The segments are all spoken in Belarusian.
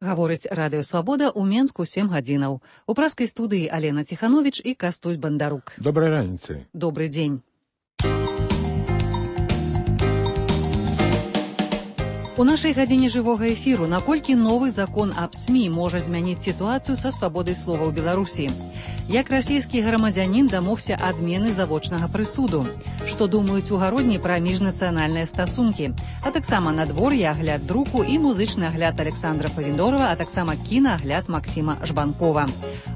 Гаворыць Радыё Свабода ў Менску 7 гадзінаў. У праскай студыі Алена Ціхановіч і Кастусь Бандарук. Добрай раніцы. Добры дзень. У нашай гадзіне жывога эфіру, наколькі новы закон аб СМІ можа змяніць сітуацыю са свабодай слова ў Беларусі. Як расійскі грамадзянін дамогся адмены завочнага прысуду. Што думаюць у гародні пра міжнацыянальныя стасункі. А таксама надвор'е, агляд друку і музычны агляд Александра Павіндорова, а таксама кінаагляд Максіма Жбанкова.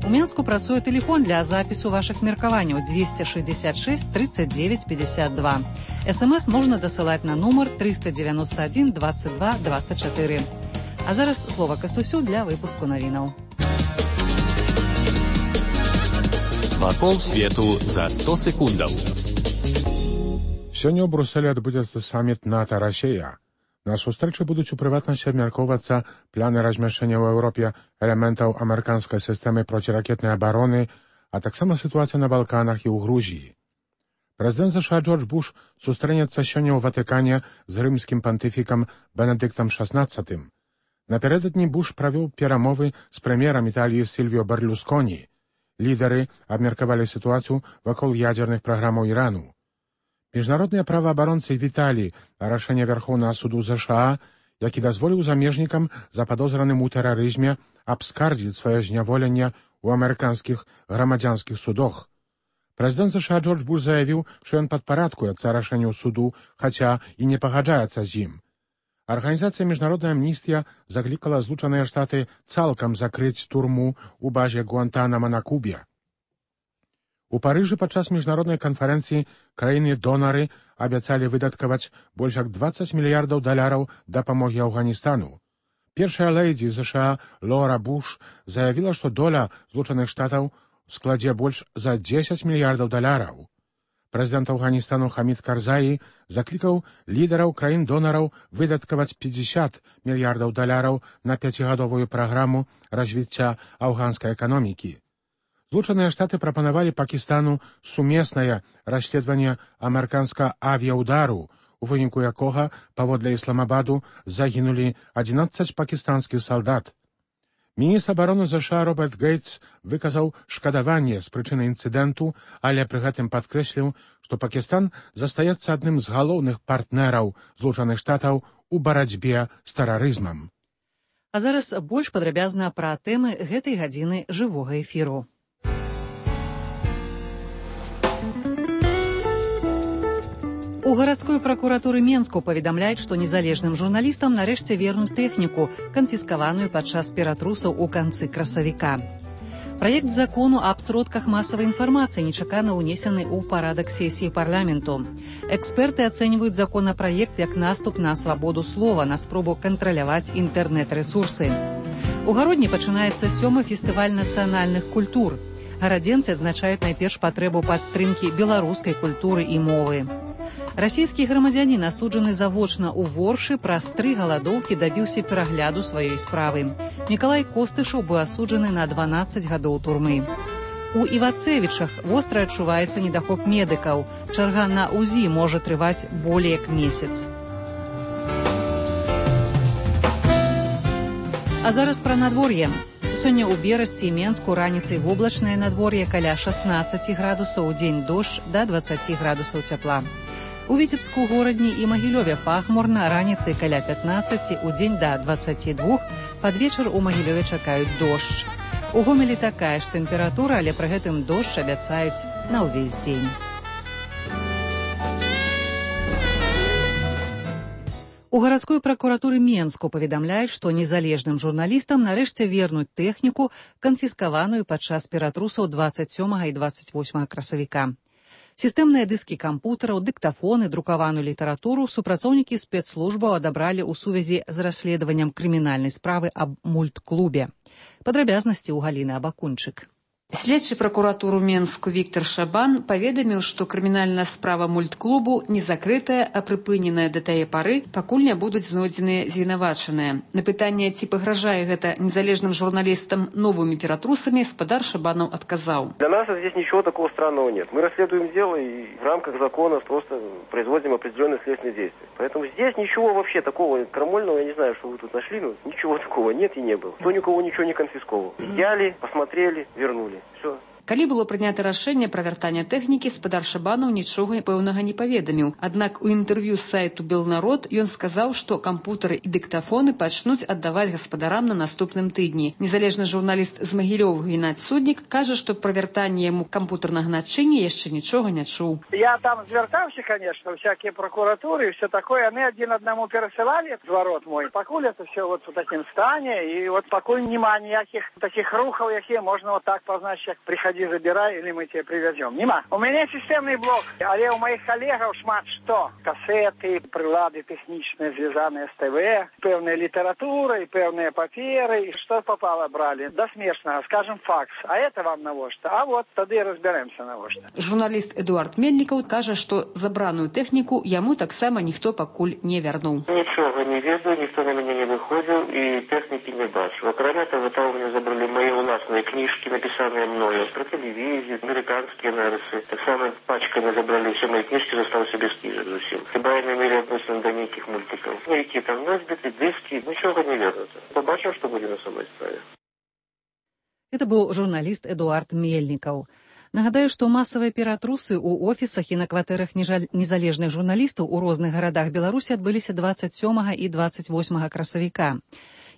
У Менску працуе тэлефон для запісу вашых меркаванняў 266 39 52. СМС можна дасылаць на нумар 391 22 24. А зараз слова Кастусю для выпуску навінаў. Вакол свету за 100 секундаў. Сёння ў Брусэлі адбудзецца саміт НАТО-Расія. На сустрэчы будуць у прыватнасці абмяркоўвацца планы размяшчэння ў Еўропе элементаў амерыканскай сістэмы проціракетнай абароны, а таксама сітуацыя на Балканах і ў Грузіі. Прэзідэнт США Джордж Буш сустрэнецца сёння ў Ватыкане з рымскім пантыфікам Бенедыктам XVI. Напярэдадні Буш правёў перамовы з прэм'ерам Італіі Сільвіо Берлусконі. Лідары абмеркавалі сітуацыю вакол ядзерных праграмаў Ірану. Міжнародныя праваабаронцы віталі рашэнне Вярхоўнага суду США, які дазволіў замежнікам западозраным у тэрарызме абскардзіць сваё зняволенне ў амерыканскіх грамадзянскіх судах. Прэзідэнт США Джордж Буш заявіў, што ён падпарадкуецца рашэнню суду, хаця і не пагаджаецца з ім. Арганізацыя «Міжнародная амністыя» заклікала Злучаныя Штаты цалкам закрыць турму ў базе Гуантанамо на Кубе. У Парыжы падчас міжнароднай канферэнцыі краіны-донары абяцалі выдаткаваць больш як $20 мільярдаў дапамогі Афганістану. Першая лэйдзі США Лора Буш заявіла, што доля Злучаных Штатаў складзе больш за $10 мільярдаў. Прэзідэнт Афганістану Хамід Карзаі заклікаў лідараў краін-донараў выдаткаваць $50 мільярдаў на 5гадовую праграму развіцця афганскай эканомікі. Злучаныя Штаты прапанавалі Пакістану сумеснае расследаванне амерыканскага авіяудару, у выніку якога, паводле Ісламабаду, загінулі 11 пакістанскіх салдат. Міністр абароны США Роберт Гейтс выказаў шкадаванне з прычыны інцыдэнту, але пры гэтым падкрэсліў, што Пакістан застаецца адным з галоўных партнераў Злучаных Штатаў у барацьбе з тэрарызмам. А зараз больш падрабязна пра тэмы гэтай гадзіны жывога эфіру. У гарадской пракуратуры Менску паведамляюць, што незалежным журналістам нарэшце вернуць тэхніку, канфіскаваную падчас ператрусаў у канцы красавіка. Праект закону аб сродках масавай інфармацыі нечакана ўнесены ў парадак сесіі парламенту. Эксперты ацэньваюць законапраект як наступ на свабоду слова, на спробу кантраляваць інтэрнэт-рэсурсы. У гародні пачынаецца 7-й фестываль нацыянальных культур. Гарадзенцы адзначаюць найперш патрэбу падтрымкі беларускай культуры і мовы. Расійскі грамадзянін, асуджаны завочна ў Воршы, праз 3 галадоўкі дабіўся перагляду сваёй справы. Мікалай Костышаў быў асуджаны на 12 гадоў турмы. У Івацевічах востра адчуваецца недахоп медыкаў. Чарга на УЗІ можа трываць болей як месяц. А зараз пра надвор'е. Сёння ў Берасці і Менску раніцай воблачнае надвор'е каля 16 градусаў, у дзень дождж да 20 градусаў цяпла. У Віцебску, Горадні і Магілёве пахмурна, раніцай каля 15, у дзень да 22, пад вечар у Магілёве чакаюць дождж. У Гомелі такая ж тэмпература, але пры гэтым дождж абяцаюць на ўвесь дзень. У гарадской пракуратуры Менску паведамляюць, што незалежным журналістам нарэшце вернуць тэхніку, канфіскаваную падчас ператрусаў 27 і 28 красавіка. Сістэмныя дыскі кампутараў, дыктафоны, друкаваную літаратуру супрацоўнікі спецслужбаў адабралі ў сувязі з расследаваннем крымінальнай справы аб мультклубе. Падрабязнасці ў Галіны Абакунчык. Следчы пракуратуру Менску Віктор Шабан паведаміў, што крымінальная справа мультклубу не закрытая, а прыпыненая да тае пары, пакуль не будуць знойдзеныя звінавачаныя. На пытанне, ці пагражае гэта незалежным журналістам новымі ператрусамі, спадар Шабанов отказал. Для нас здесь ничего такого странного нет. Мы расследуем дело и в рамках закона просто производим определенные следственные действия. Поэтому здесь ничего вообще такого крамольного, я не знаю, что вы тут нашли, но ничего такого нет и не было. Кто никого ничего не конфисковал. Взяли, посмотрели, вернули. Все. Калі было прынята рашэнне пра вяртанне тэхнікі, спадар Шабанов нічога пэўнага не паведаміў. Аднак у інтэрв'ю з сайту «Белнарод» ён сказаў, што кампутары і дыктафоны пачнуць аддаваць гаспадарам на наступным тыдні. Незалежны журналіст з Магілёва Геннадзь Суднік кажа, што пра вяртанне яму кампутарнага начыння яшчэ нічога не чуў. Я там звяртаўся, конечно, всякие прокуратуры и все такое. Они один одному пересылали зворот мой. Покуль это все вот в таком стане, и вот покуль нема никаких таких рухов, какие можно вот так позначить, приходи, забирай, или мы тебе привезем. Нема. У меня системный блок, але у моих коллегов шмат что. Кассеты, прилады техничные, связанные с ТВ, певная литература и певные паперы, и что попало брали. До смешного, скажем, факс. А это вам на что? А вот тогда и разберемся на что. Журналист Эдуард Мельников кажа, што забраную тэхніку яму таксама ніхто пакуль не вярнуў. Нічога не ведаю, ніхто на мяне не выходзіў і тэхнікі не бачыў. Акрамя таго, там у меня забрали мои уласныя кніжкі, напісаныя мною про телевизию, американские нарысы. Так само пачками забрали все мои книжки, застался без книжек зовсім. Хіба я не имели отношения до неких мультиков. Ну, які там носбиты, диски, ничего не ведаю. Побачив, что будет на самой справе. Это быў журналіст Эдуард Мельнікаў. Нагадаю, што масавыя ператрусы ў офісах і на кватэрах незалежных журналістаў у розных гарадах Беларусі адбыліся 27 і 28 красавіка.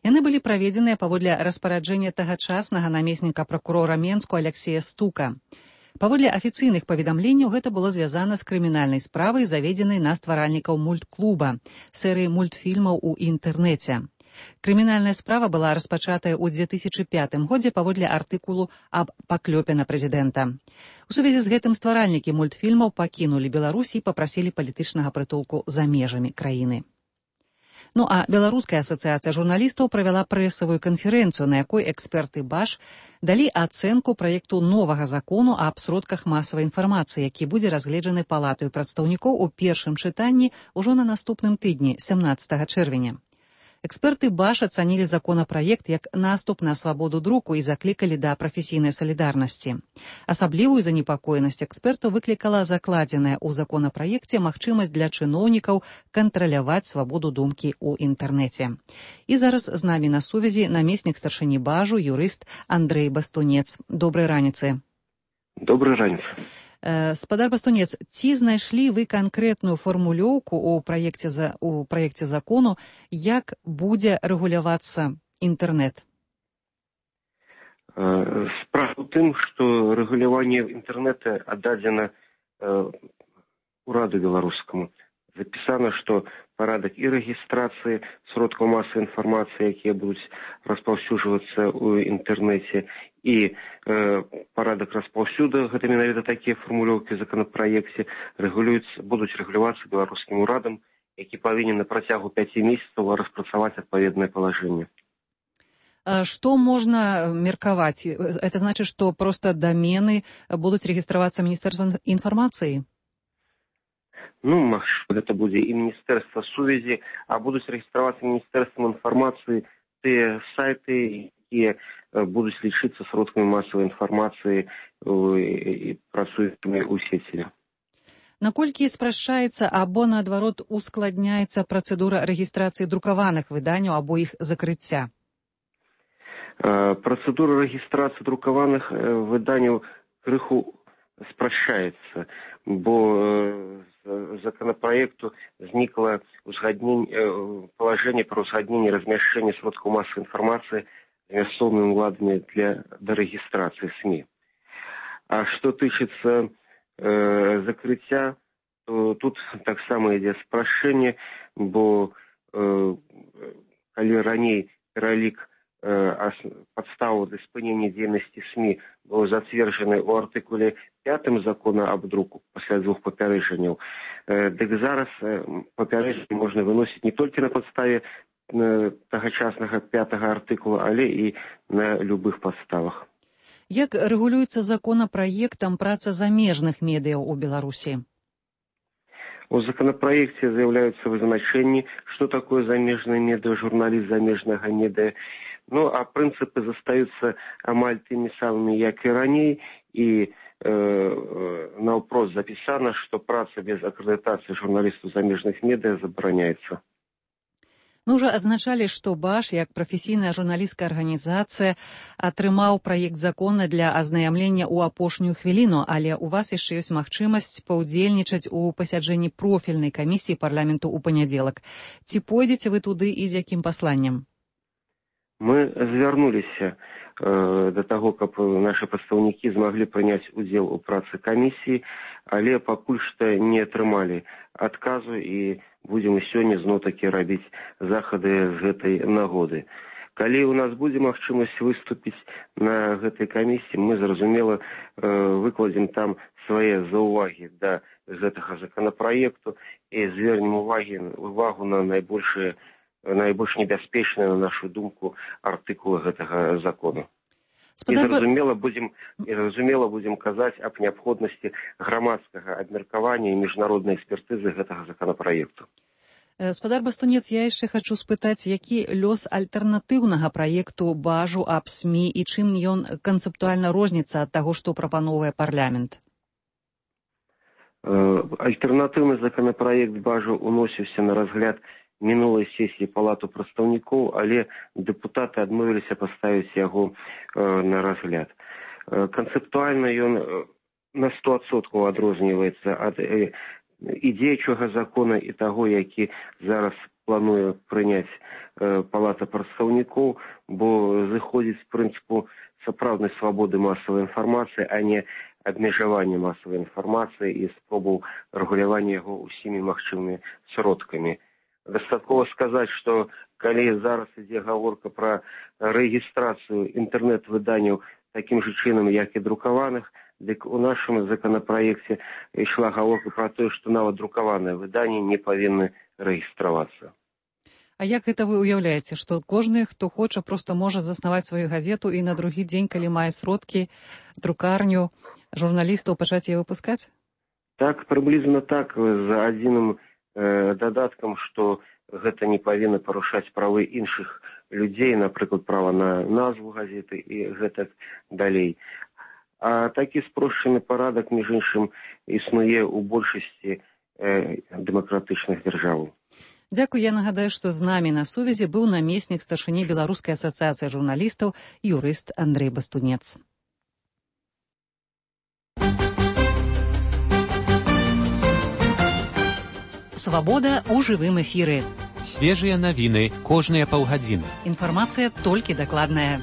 Яны былі праведзеныя паводле распараджэння тагачаснага намесніка пракурора Менску Алексея Стука. Паводле афіцыйных паведамленняў гэта было звязана з крымінальнай справай, заведзенай на стваральнікаў мультклуба, серыі мультфільмаў у інтэрнэце. Крымінальная справа была распачатая ў 2005 годзе паводле артыкулу аб паклёпе на прэзідэнта. У сувязі з гэтым стваральнікі мультфільмаў пакінулі Беларусь і папрасілі палітычнага прытулку за межамі краіны. Ну а Беларуская асацыяцыя журналістаў правяла прэсавую канферэнцыю, на якой эксперты БАШ далі ацэнку праекту новага закону аб сродках масавай інфармацыі, які будзе разгледжаны палатаю прадстаўнікоў у першым чытанні ўжо на наступным тыдні, 17 чэрвеня. Эксперты БАШ ацанілі законапраект як наступ на свабоду друку і заклікалі да прафесійнай салідарнасці. Асаблівую занепакоенасць экспертаў выклікала закладзеная ў законапраекце магчымасць для чыноўнікаў кантраляваць свабоду думкі ў інтэрнэце. І зараз з намі на сувязі намеснік старшыні БАЖу, юрыст Андрэй Бастунец. Добрай раніцы. Добрай раніцы. Спадар Бастунец, ці знайшлі вы канкрэтную фармулёўку ў праекце закону, як будзе рэгулявацца інтэрнэт? Справа ў тым, што рэгуляванне інтэрнэта аддадзена ураду беларускаму. Запісана, што парадак і рэгістрацыі сродкаў масавай інфармацыі, якія будуць распаўсюджвацца ў інтэрнэце, і парадак распаўсюду, гэта менавіта такія фармулёўкі ў законапраекце, будуць рэгулявацца беларускім урадам, які павінен на працягу 5 месяцаў распрацаваць адпаведнае палажэнне. Што можна меркаваць? Это значыць, што проста дамены будуць рэгістравацца Міністэрствам інфармацыі? Ну, магчыма, гэта будзе і Міністэрства сувязі, а будуць рэгістравацца Міністэрствам інфармацыі тыя сайты, якія будуць лічыцца сродкамі масавай інфармацыі і працуючымі ў сеціве. Наколькі спрашчаецца або, наадварот, ускладняецца працэдура рэгістрацыі друкаваных выданняў або іх закрыцця? Працэдура рэгістрацыі друкаваных выданняў крыху спрашчаецца, бо законопроекту зникло положение про узгоднение размещения сродков массовой информации с мясцовымі ўладамі для дорегистрации СМИ. А что тычыцца закрыцця, то тут таксама ідзе спрашчэнне, бо калі раней пералік подставу для спынення дзейнасці СМИ был затверджены у артыкуле 5 закона об друку пасля 2 папярэджанняў. Дык зараз папярэджанне можна выносіць не толькі на падставе тагачаснага 5 артыкула, але і на любых падставах. Як рэгулюецца законапраектам праца замежных медыяў у Беларусі? У законопроекте заявляются вызначения, что такое замежное медиа, журналист замежного медиа. Ну, а принципы застаются амаль теми самыми, как и ранее, и на вопрос записано, что праца без аккредитации журналистов замежных медиа забороняется. Мы ўжо адзначалі, што БАШ, як прафесійная журналісцкая арганізацыя, атрымаў праект закона для азнаямлення ў апошнюю хвіліну, але ў вас яшчэ ёсць магчымасць паўдзельнічаць у пасяджэнні профільнай камісіі парламенту ў панядзелак. Ці пойдзеце вы туды і з якім пасланнем? Мы звярнуліся да таго, каб нашы прадстаўнікі змаглі прыняць удзел у працы камісіі, але пакуль што не атрымалі адказу і будем сёння зноў-такі рабіць захады з гэтай нагоды. Калі ў нас будзе магчымасць выступіць на гэтай камісіі, мы, зразумела, выкладзем там свае заўвагі да гэтага законапраекту і звернем увагу на найбольш небяспечныя, на нашу думку, артыкулы гэтага закону. І зразумела будзем казаць аб неабходнасці грамадскага абмеркавання і міжнароднай экспертызы гэтага законапраекту. Спадар Бастунец, я яшчэ хачу спытаць, які лёс альтэрнатыўнага праекту БАЖу аб СМІ і чым ён канцэптуальна розніцца ад таго, што прапановвае парламент? Альтэрнатыўны законапраект БАЖу уносіўся на разгляд мінулай сесіі палату прадстаўнікоў, але дэпутаты адмовіліся паставіць яго на разгляд. Канцэптуальна ён на 100% адрозніваецца ад дзеючага закона і таго, які зараз плануе прыняць палата прадстаўнікоў, бо зыходзіць з прынцыпу сапраўднай свабоды масавай інфармацыі, а не абмежавання масавай інфармацыі і спробаў рэгулявання яго ўсімі магчымымі сродкамі. Дастаткова сказаць, што калі зараз ідзе гаворка пра рэгістрацыю інтэрнэт-выданняў такім жа чынам, як і друкаваных, дык у нашым законапраекце ішла гаворка пра тое, што нават друкаваныя выданні не павінны рэгістравацца. А як гэта вы ўяўляеце, што кожны, хто хоча, проста можа заснаваць сваю газету і на другі дзень, калі мае сродкі, друкарню, журналістаў пачаць яе выпускаць? Так, прыблізна так, за адзіным дадаткам, што гэта не павінна парушаць правы іншых людзей, напрыклад, права на назву газеты і гэтак далей. А такі спрошчаны парадак, між іншым, існуе ў большасці дэмакратычных дзяржаў. Дзякуй, я нагадаю, што з намі на сувязі быў намеснік старшыні Беларускай асацыяцыі журналістаў, юрыст Андрэй Бастунец. Свабода ў жывым эфіры. Свежыя навіны кожныя паўгадзіны. Інфармацыя толькі дакладная.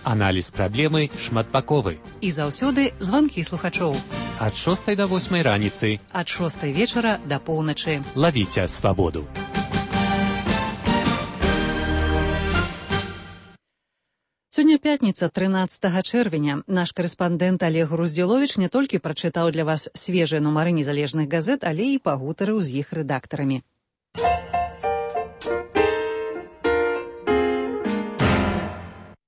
Аналіз праблемы шматбаковы. І заўсёды званкі слухачоў. Ад 6 до 8 раніцы. Ад 6 вечара да поўначы. Лавіце свабоду. Сёння пятніца, 13 чэрвеня. Наш карэспандэнт Олег Груздзіловіч не толькі прачытаў для вас свежыя нумары незалежных газет, але і пагутарыў з іх рэдактарамі.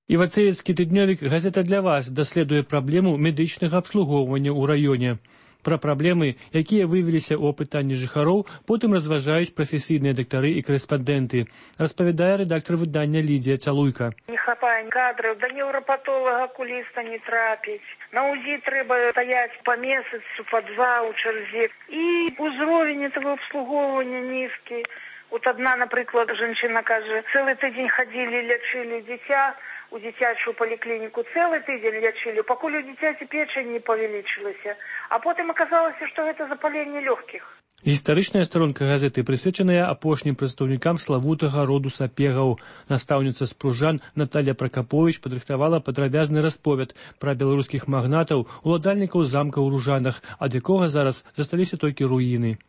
Івацеецкі тыднёвік «Газета для вас» даследуе праблему медычнага абслугоўвання ў раёне. Пра праблемы, якія выявіліся ў апытанні жыхароў, потым разважаюць прафесійныя дактары і корэспандэнты, распавядае рэдактар выдання Лідія Цалуйка. Не хапае кадраў, да неўрапатолага акуліста не трапіць. На УЗІ трэба стаяць па месяцу, па два ў чарзе. І ўзровень этого абслугоўвання нізкі. Вот одна, напрыклад, жанчына кажа, цэлы тыдзень хадзілі, лячылі дзіця, у дзіцячую паліклініку цэлы тыдзень лячылі, пакуль у дзіцяці печань не павялічылася. А потым аказалася, што гэта запаленне лёгкіх. Гістарычная старонка газеты прысвечаная апошнім прадстаўнікам славутага роду сапегаў. Настаўніца з Пружан Наталья Пракаповіч падрыхтавала падрабязны расповед пра беларускіх магнатаў, уладальнікаў замка ў Ружанах, ад якога зараз засталіся толькі руіны.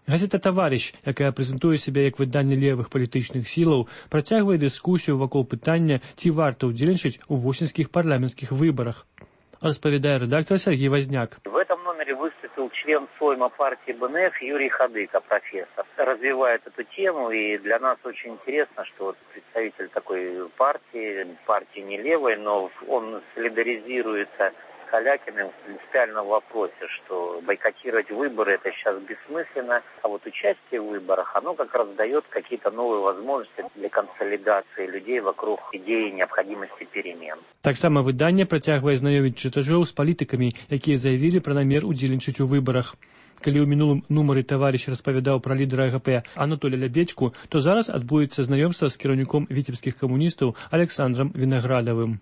Газета «Таварыш», якая прэзентуе сябе як выданне левых палітычных сілаў, працягвае дыскусію вакол пытання, ці варта ўдзельнічаць у восеньскіх парламенцкіх выбарах. Распавядае рэдактор Сергей Возняк. В этом номере баннере выступил член Сойма партии БНФ Юрий Хадыка, профессор. Развивает эту тему, и для нас очень интересно, что вот представитель такой партии не левой, но он солидаризируется с Калякиным в принципиальном вопросе, что бойкотировать выборы это сейчас бессмысленно, а вот участие в выборах, оно как раз дает какие-то новые возможности для консолидации людей вокруг идеи необходимости перемен. Таксама выданне працягвае знаёміць чытачоў з палітыкамі, якія заявілі пра намер удзельнічаць у выбарах. Калі ў мінулым нумары таварыш распавядаў пра лідара АГП Анатолія Лябедзьку, то зараз адбудзецца знаёмства з кіраўніком віцебскіх камуністаў Александрам Вінаградавым.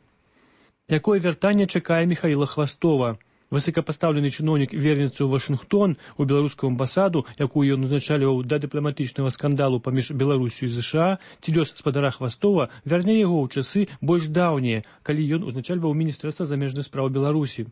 Якое вяртанне чакае Міхаіла Хвастова? Высокапастаўлены чыноўнік вернецца ў Вашынгтон, у беларускую амбасаду, якую ён узначальваў да дыпламатычнага скандалу паміж Беларусю і ЗША, ці лёс спадара Хвастова вярне яго ў часы больш даўнія, калі ён узначальваў Міністэрства замежных спраў Беларусі.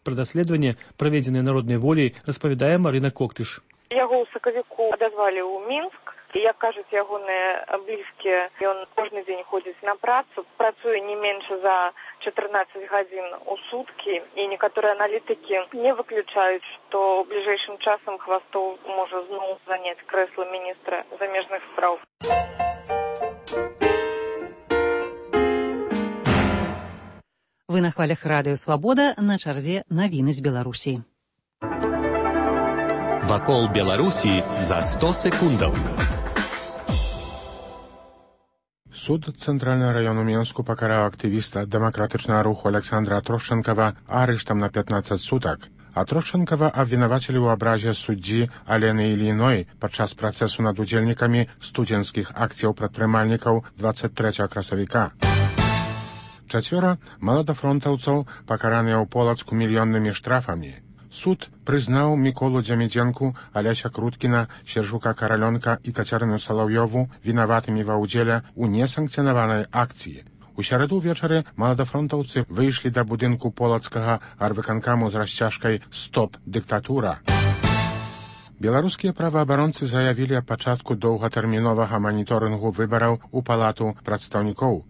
Пра даследаванне, праведзенае народнай волей, распавядае Марына Коктыш. Яго ў сакавіку адазвалі ў Мінск. І, як кажуць ягоныя блізкія, ён кожны дзень ходзіць на працу, працуе не менш за 14 гадзін у суткі, і некаторыя аналітыкі не выключаюць, што бліжэйшым часам Хвастов можа зноў заняць крэсла міністра замежных спраў. Вы на хвалях радыё «Свабода», на чарзе навіны з Беларусі. Вакол Беларусі за 100 секундаў. Суд Цэнтральнага раёну Менску пакараў актывіста дэмакратычнага руху Александра Трошчэнкава арыштам на 15 сутак. А Трошчэнкава абвінавацілі ў абразе суддзі Алены Ільіной падчас працэсу над удзельнікамі студзенцкіх акцыяў прадпрымальнікаў 23 красавіка. 4 маладафронтаўцаў пакараныя ў Полацку мільённымі штрафамі. Суд прызнаў Міколу Дзямідзенку, Аляся Круткіна, Сержука Каралёнка і Кацярыну Салаўёву вінаватымі ва ўдзеле ў несанкцыянаванай акцыі. У сярэду ўвечары маладафронтаўцы выйшлі да будынку полацкага арвыканкаму з расцяжкай «Стоп, дыктатура». Беларускія праваабаронцы заявілі аб пачатку доўгатэрміновага маніторынгу выбараў у палату прадстаўнікоў.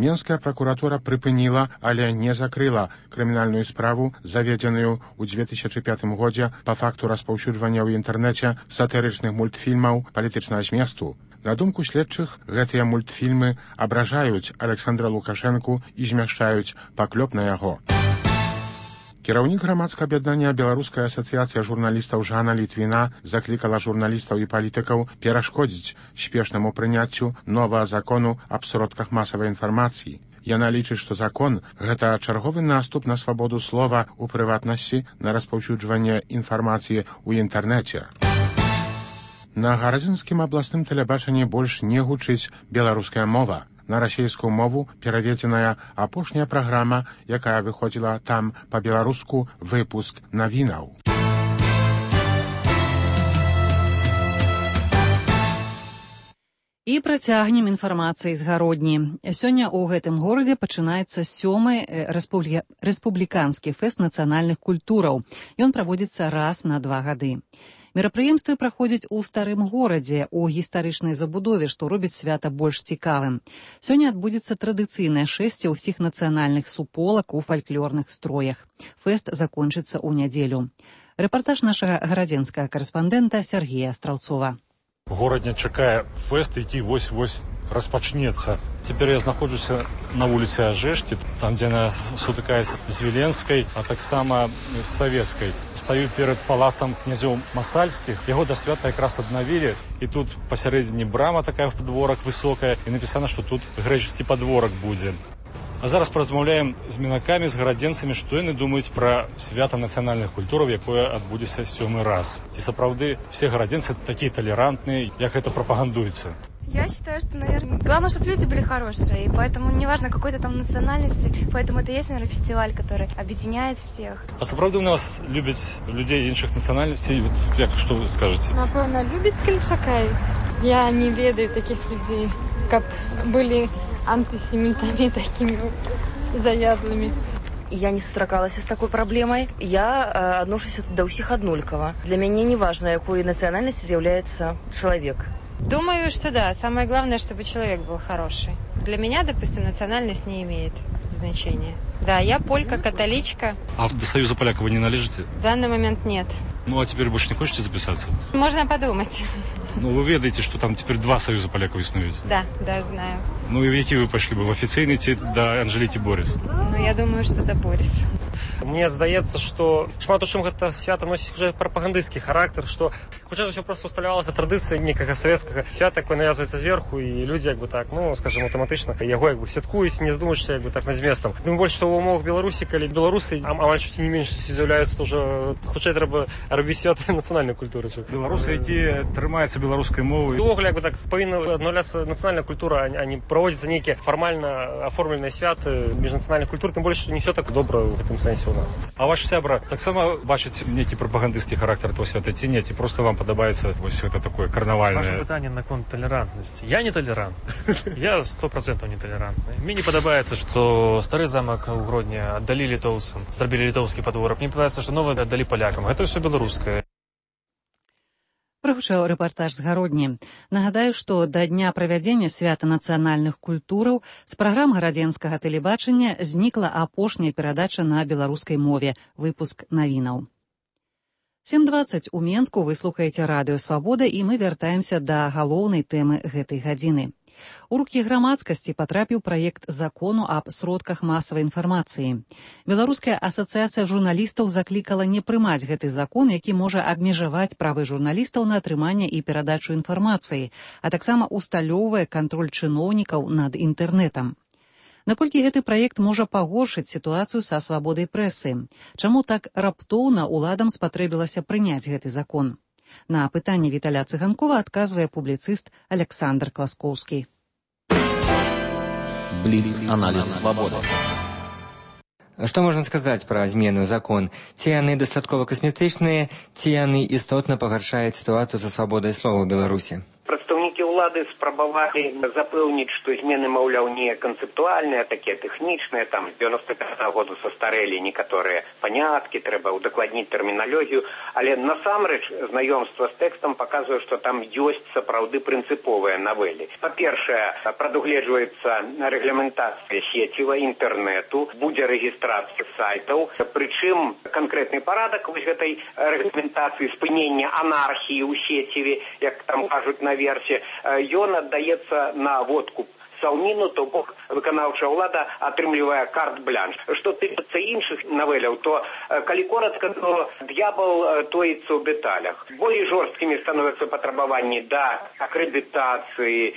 Менская пракуратура прыпыніла, але не закрыла крымінальную справу, заведзеную ў 2005 годзе па факту распаўсюджвання ў інтэрнэце сатырычных мультфільмаў палітычнага зместу. На думку следчых, гэтыя мультфільмы абражаюць Александра Лукашэнку і змяшчаюць паклёп на яго. Кіраўнік грамадскага аб'яднання Беларуская асацыяцыя журналістаў Жанна Літвіна заклікала журналістаў і палітыкаў перашкодзіць спешнаму прыняццю новага закону аб сродках масавай інфармацыі. Яна лічыць, што закон – гэта чарговы наступ на свабоду слова, у прыватнасці, на распаўсюджванне інфармацыі ў інтэрнэце. На гарадзінскім абласным тэлебачанні больш не гучыць беларуская мова. На расійскую мову пераведзеная апошняя праграма, якая выходзіла там па-беларуску выпуск навінаў. І працягнем інфармацыі з гародні. Сёння ў гэтым горадзе пачынаецца 7-й рэспубліканскі фэст нацыянальных культураў. Ён праводзіцца раз на 2 гады. Мерапрыемствы праходзяць у старым горадзе, у гістарычнай забудове, што робіць свята больш цікавым. Сёння адбудзецца традыцыйнае шэсце ўсіх нацыянальных суполак у фальклорных строях. Фэст закончыцца ў нядзелю. Рэпартаж нашага гарадзенскага карэспандэнта Сергея Астраўцова. Горадня чакае фэст, які вось-вось распачнецца. Цяпер я знаходжуся на вуліцы Ажэшкі, там, дзе яна сутыкаецца з Віленскай, а таксама з Савецкай. Стаю перад палацам князёў Масальскіх. Яго да свята якраз аднавілі, і тут пасярэдзіне брама такая в падворак высокая, і напісана, што тут грэчасці падворак будзе. А зараз паразмаўляем з мінакамі, з гарадзенцамі, што яны думаюць пра свята нацыянальных культураў, якое адбудзецца 7-й раз. Ці сапраўды все гарадзенцы такія толерантныя, як это прапагандуецца? Я считаю, что, наверное, главное, чтобы люди были хорошие, и поэтому неважно какой-то там национальности, поэтому это и есть, наверное, фестиваль, который объединяет всех. А сапраўды у нас любяць людей іншых нацыянальнасцей? Як, што вы скажаце? Напэўна, любяць, калі чакаюць. Я не ведаю таких людей, каб былі антисемитами такими заядлыми. Я не сустракалася з такой праблемай. Я адношуся да ўсіх аднолькава. Для мяне не важна, якой нацыянальнасці з'яўляецца чалавек. Думаю, что да. Самое главное, чтобы человек был хороший. Для меня, допустим, национальность не имеет значение. Да, я полька, католичка. А до Союза поляков вы не належите? В данный момент нет. Ну, а теперь больше не хочете записаться? Можно подумать. Ну, вы ведаете, что там теперь 2 Союза поляков існують? Да, знаю. Ну, и в які вы пошли бы? В офіційний ці до Анжеліки Борис? Ну, я думаю, что до Борис. Мне здаецца, што шмат у чым гэта свята носіць уже прапагандысцкі характар, што хутчэй за ўсё проста усталявалася традыцыя некага савецкага свята, якое навязваецца зверху, і людзі як бы так, ну, скажем, аўтаматычна яго як бы святкуюць, не здумаючыся як бы так над зместам. Тым больш, што ў умовах Беларусі, калі беларусы амаль не менш з'яўляюцца, то ўжо хутчэй трэба рабіць свят нацыянальнай культуры. Беларусы, якія трымаюцца беларускай мовай. Увогуле як бы так павінна аднаўляцца нацыянальная культура, а не праводзіцца нейкія фармальна аформленыя святы міжнацыянальных культур, тым больш, што не ўсё так добра ў гэтым сэнсе у нас. А ваш сябра таксама бачыць нейкі прапагандысцкі характар этого свята ці не, ці просто вам падабаецца вось гэта такое карнавальнае? Ваше пытанне наконт талерантнасці. Я не талерант. Я 100% не талерантны. Мне не падабаецца, што стары замак у Гродні аддалі літоўцам, зрабілі літоўскі падворак. Мне падабаецца, што новы аддалі палякам. Гэта ўсё беларускае. Прагучаў рэпартаж з Гародні. Нагадаю, што да дня правядзення свята нацыянальных культураў з праграм гарадзенскага тэлебачання знікла апошняя перадача на беларускай мове, выпуск навінаў. 7:20 у Менску вы слухаеце радыё «Свабода» і мы вяртаемся да галоўнай тэмы гэтай гадзіны. У рукі грамадскасці патрапіў праект закону аб сродках масавай інфармацыі. Беларуская асацыяцыя журналістаў заклікала не прымаць гэты закон, які можа абмежаваць правы журналістаў на атрыманне і перадачу інфармацыі, а таксама усталёўвае кантроль чыноўнікаў над інтэрнэтам. Наколькі гэты праект можа пагоршыць сітуацыю са свабодай прэсы? Чаму так раптоўна уладам спатрэбілася прыняць гэты закон? На пытанне Віталя Цыганкова адказвае публіцыст Александр Класкоўскі. Бліц-аналіз свабоды. Што можна сказаць пра змены ў закон? Ці яны дастаткова касметычныя, ці яны істотна пагаршаюць сітуацыю са свабодай слова ў Беларусі? Прадстаўнікі ўлады спрабавалі запэўніць, што змены, маўляў, не канцэптуальныя, такія тэхнічныя, там з 95-го году састарэлі некаторыя паняткі, трэба ўдакладніць тэрміналогію, але насамрэч знаёмства з тэкстам паказвае, што там ёсць сапраўды прынцыповыя навелі. Па-першае, прадугледжваецца рэгламентацыя сеціва інтэрнэту, будзе рэгістрацыя сайтаў, прычым канкрэтны парадак вось гэтай рэгламентацыі спынення анархіі ў сеціве, як там кажуць на версе, ён аддаецца на водку Саўніну, то бок выканаўчая ўлада атрымлівае карт-блянш. Што тычыцца іншых навеляў, то калі коратка, то д'ябал тоіцца ў дэталях. Болей жорсткімі становяцца патрабаванні да акрэдытацыі,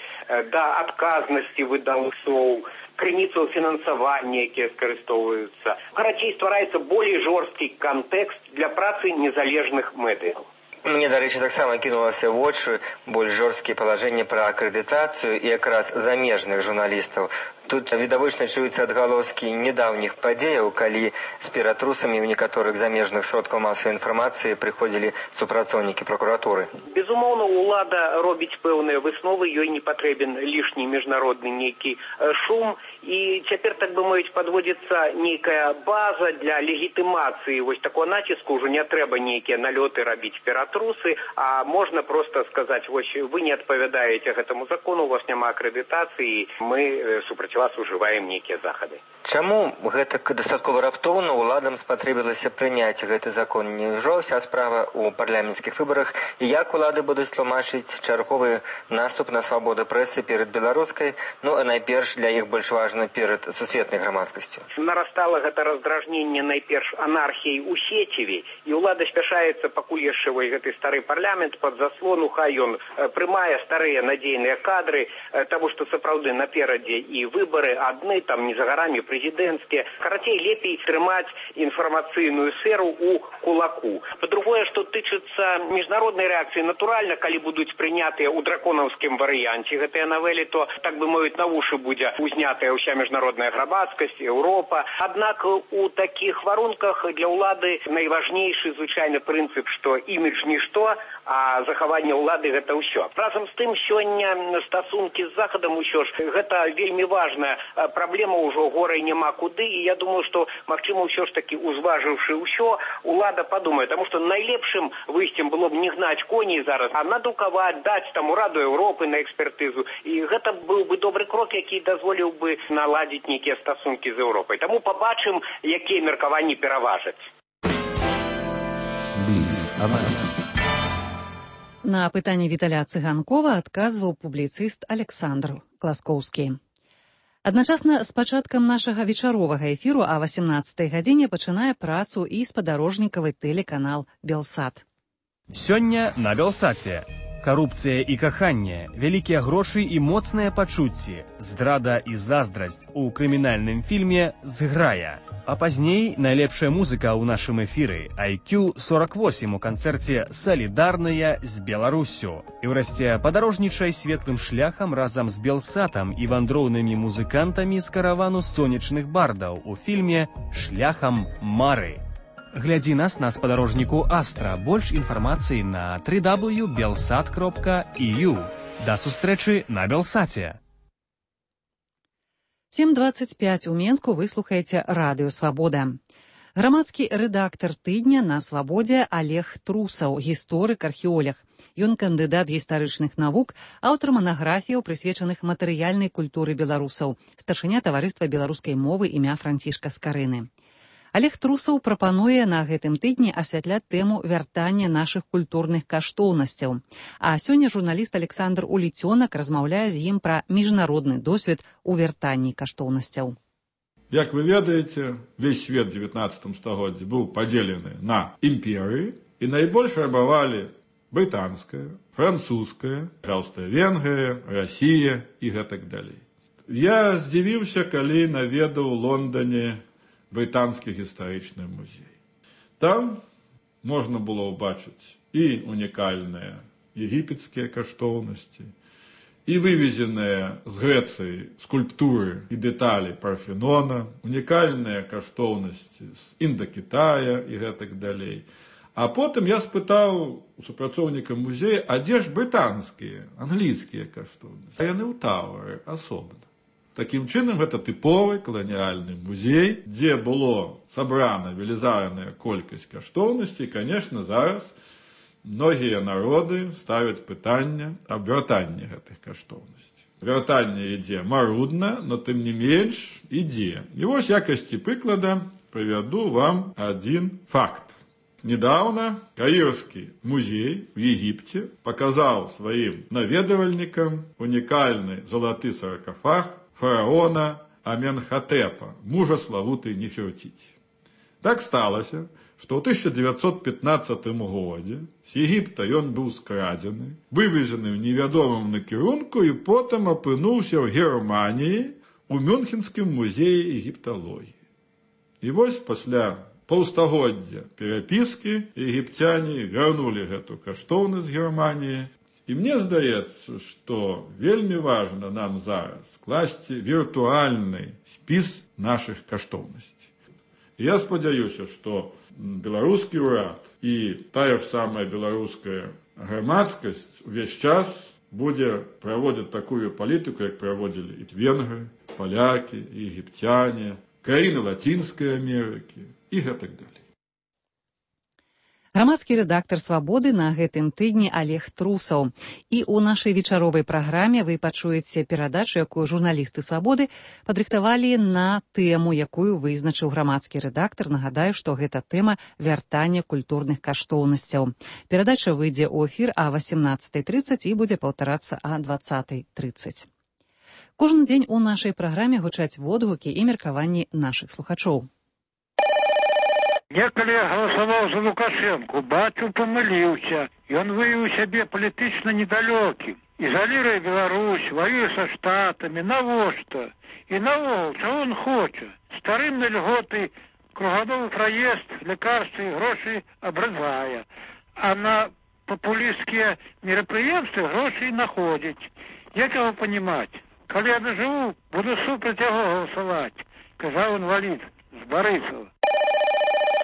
да адказнасці выдаўцоў, крыніцаў фінансавання, якія скарыстоўваюцца. Карацей, ствараецца болей жорсткі кантэкст для працы незалежных медыяў. Мне, дарэчы, таксама кінулася ў вочы больш жорсткія палажэнні пра акрэдытацыю і якраз замежных журналістаў. Тут відавочна чуюцца адгалоскі недаўніх падзеяў, калі з ператрусамі ў некаторых замежных сродкаў масавай інфармацыі прыходзілі супрацоўнікі пракуратуры. Безумоўна, улада робіць пэўныя высновы, ёй не патрэбен лішні міжнародны нейкі шум, і цяпер, так бы мовіць, падводзіцца нейкая база для легітымацыі вось такого націску, ўжо не трэба нейкія налёты рабіць ператрусы, а можна проста сказаць, вось вы не адпавядаеце гэтаму закону, у вас няма акрэдытацыі, мы супраць вас ужываем нейкія захады. Чаму гэтак дастаткова раптоўна уладам спатрэбілася прыняць гэты закон? Няўжо ўся справа ў парламенцкіх выбарах, і як улады будуць тлумачыць чарговы наступ на свабоду прэсы перад беларускай, ну а найперш для іх больш важна перад сусветнай грамадскасцю? Нарастала гэта раздражненне найперш анархіяй у сеціве, і ўлада спяшаецца пакуль яшчэ гэты стары парламент пад заслону, хай ён прымае старыя надзейныя кадры, таму што сапраўды наперадзе і выбары адны, там не за гарамі прэзідэнцкія. Карацей, лепей трымаць інфармацыйную сферу у кулаку. Па-другое, што тычыцца міжнароднай рэакцыі, натуральна, калі будуць прынятыя ў драконаўскім варыянце гэтыя навелі, то, так бы мовіць, на вушы будзе узнятая ўся міжнародная грамадскасць, Еўропа. Аднак у такіх варунках для ўлады найважнейшы звычайны прынцып, што імідж нішто, а захаванне ўлады гэта ўсё. Разам з тым, сёння стасункі з Захадам усё ж гэта вельмі важна важна праблема ўжо горай няма куды, і я думаю, што магчыма ўсё ж такі узважыўшы ўсё, улада падумае, таму што найлепшым выйсцем было б не гнаць коней зараз, а надрукаваць, даць там у Раду Еўропы на экспертызу, і гэта быў бы добры крок, які дазволіў бы наладзіць нейкія стасункі з Еўропай. Таму пабачым, якія меркаванні пераважаць. На пытанне Віталя Цыганкова адказваў публіцыст Александр Класкоўскі. Адначасна з пачаткам нашага вечаровага эфіру о 18 гадзіне пачынае працу і спадарожнікавы тэлеканал «Белсат». Сёння на «Белсаце». Карупцыя і каханне, вялікія грошы і моцныя пачуцці, здрада і заздрасць у крымінальным фільме «Зграя». А пазней найлепшая музыка ў нашым эфіры IQ48 у канцэрце «Салідарныя з Беларуссю». І ўрэшце падарожнічай светлым шляхам разам з Белсатам і вандроўнымі музыкантамі з каравану сонечных бардаў у фільме «Шляхам Мары». Глядзі нас на спадарожніку Астра. Больш інфармацыі на www.belsat.eu. Да сустрэчы на Белсаце. 7:25 у Менску вы слухаеце радыё «Свабода». Грамадскі рэдактар тыдня на «Свабодзе» Олег Трусаў, гісторык-археолог. Ён кандыдат гістарычных навук, аўтар манаграфіяў, прысвечаных матэрыяльнай культуры беларусаў, старшыня таварыства беларускай мовы імя Францішка Скарыны. Олег Трусаў прапануе на гэтым тыдні асвятляць тэму вяртання нашых культурных каштоўнасцяў. А сёння журналіст Александр Уліцёнак размаўляе з ім пра міжнародны досвед у вяртанні каштоўнасцяў. Як вы ведаеце, весь свет в 19 стагоддзі быў падзелены на імперыі, і найбольш рабавалі брытанская, французская, Аўстрыя-Венгрыя, Расія і гэтак далей. Я здзівіўся, калі наведаў у Лондоне брытанскі гістарычны музей. Там можна было ўбачыць і унікальныя егіпецкія каштоўнасці, і вывезеныя з Грэцыі скульптуры і дэталі Парфенона, унікальныя каштоўнасці з Індакітая і гэтак далей. А потым я спытаў у супрацоўніка музея, а дзе ж брытанскія, англійскія каштоўнасці? А яны ў Тауэры асобна. Такім чынам, гэта тыповы каланіяльны музей, дзе было сабрана велізарная колькасць каштоўнасцей. І, канешне, зараз многія народы ставяць пытанне аб вяртанні гэтых каштоўнасцей. Вяртанне ідзе марудна, но тым не менш ідзе. І вось якасці прыклада прывяду вам адзін факт. Недавно Каірскі музей в Егіпце паказаў сваім наведавальнікам унікальны залаты саркафаг фараона Аменхатэпа, мужа славутай Нефертіці. Так сталася, што ў 1915 годзе з Егіпта ён быў скрадзены, вывезены ў невядомым накірунку і потым апынуўся ў Германіі у Мюнхенскім музеі егіпталогіі. І вось пасля паўстагоддзя перапіскі егіпцяне вярнулі гэту каштоўнасць з Германіі. І мне здаецца, што вельмі важна нам зараз скласці віртуальны спіс нашых каштоўнасцей. І я спадзяюся, што беларускі ўрад і тая ж самая беларуская грамадскасць увесь час будзе праводзіць такую палітыку, як праводзілі і венгры, палякі, егіпцяне, краіны Лацінскай Амерыкі і гэтак далей. Грамадскі рэдактар «Свабоды» на гэтым тыдні Олег Трусаў. І ў нашай вечаровай праграме вы пачуеце перадачу, якую журналісты «Свабоды» падрыхтавалі на тэму, якую вызначыў грамадскі рэдактар. Нагадаю, што гэта тэма вяртання культурных каштоўнасцяў. Перадача выйдзе ў эфір о 18:30 і будзе паўтарацца о 20:30. Кожны дзень у нашай праграме гучаць водгукі і меркаванні нашых слухачоў. Я, калі галасаваў за Лукашэнку, бачу, памыліўся. Ён выявіў сябе палітычна недалёкім. Ізаліруе Беларусь, ваюе са штатамі. Навошта? І наогул, чаго он хоча? Старым на льготы, кругадовы праезд, лекарствы і грошы абрывае. А на папулісцкія мерапрыемствы грошы находзіць. Як яго панімаць? Калі я дажыву, буду супраць яго галасаваць, казаў інвалід з Барысава.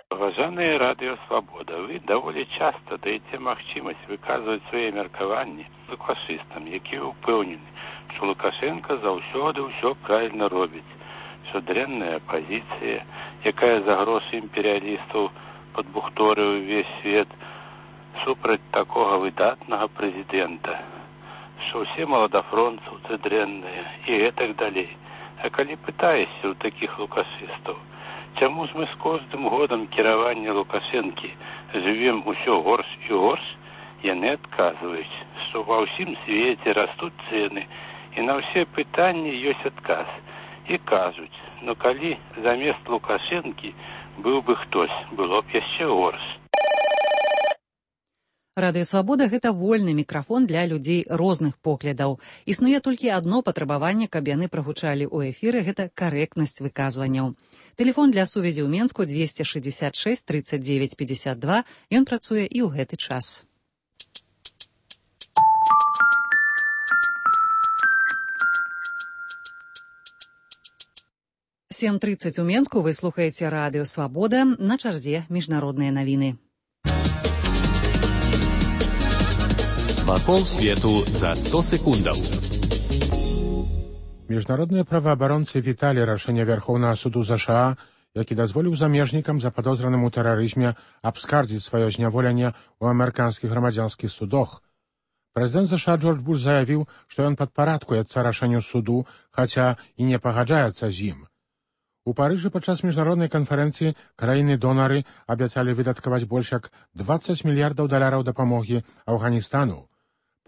Уважаемые радио «Свобода», вы довольно часто даете махчимость выказывать свои меркаванні фашистам, які упевнены, што Лукашенка заўсёды ўсё правільна робіць, што дрэнная апазіцыя, якая за грошы імперыялістаў падбухторыў увесь свет супраць такога выдатнага прэзідэнта, што ўсе маладафронцаўцы дрэнныя і гэтак далей. А калі пытаешся ў такіх лукашыстаў, чаму ж мы з кожным годам кіравання Лукашэнкі жывем усё горш і горш, яны адказваюць, што ва ўсім свеце растуць цэны, і на ўсе пытанні ёсць адказ. І кажуць, ну калі замест Лукашэнкі быў бы хтось, было б яшчэ горш. Радыё Свабода – гэта вольны мікрафон для людзей розных поглядаў. Існуе толькі адно патрабаванне, каб яны прагучалі ў эфіры – гэта карэктнасць выказванняў. Тэлефон для сувязі ў Менску 266 39 52. Ён працуе і ў гэты час. – 7:30 у Менску. Вы слухаеце Радыё Свабода. На чарзе міжнародныя навіны. Вакол свету за 100 секундаў. Міжнародныя праваабаронцы віталі рашэнне Вярхоўнага суду ЗША, які дазволіў замежнікам западозраным у тэрарызме абскардзіць сваё зняволенне ў амерыканскіх грамадзянскіх судах. Прэзідэнт ЗША Джордж Буш заявіў, што ён падпарадкуецца рашэнню суду, хаця і не пагаджаецца з ім. У Парыжы падчас міжнароднай канферэнцыі краіны-донары абяцалі выдаткаваць больш як $20 мільярдаў дапамогі Афганістану.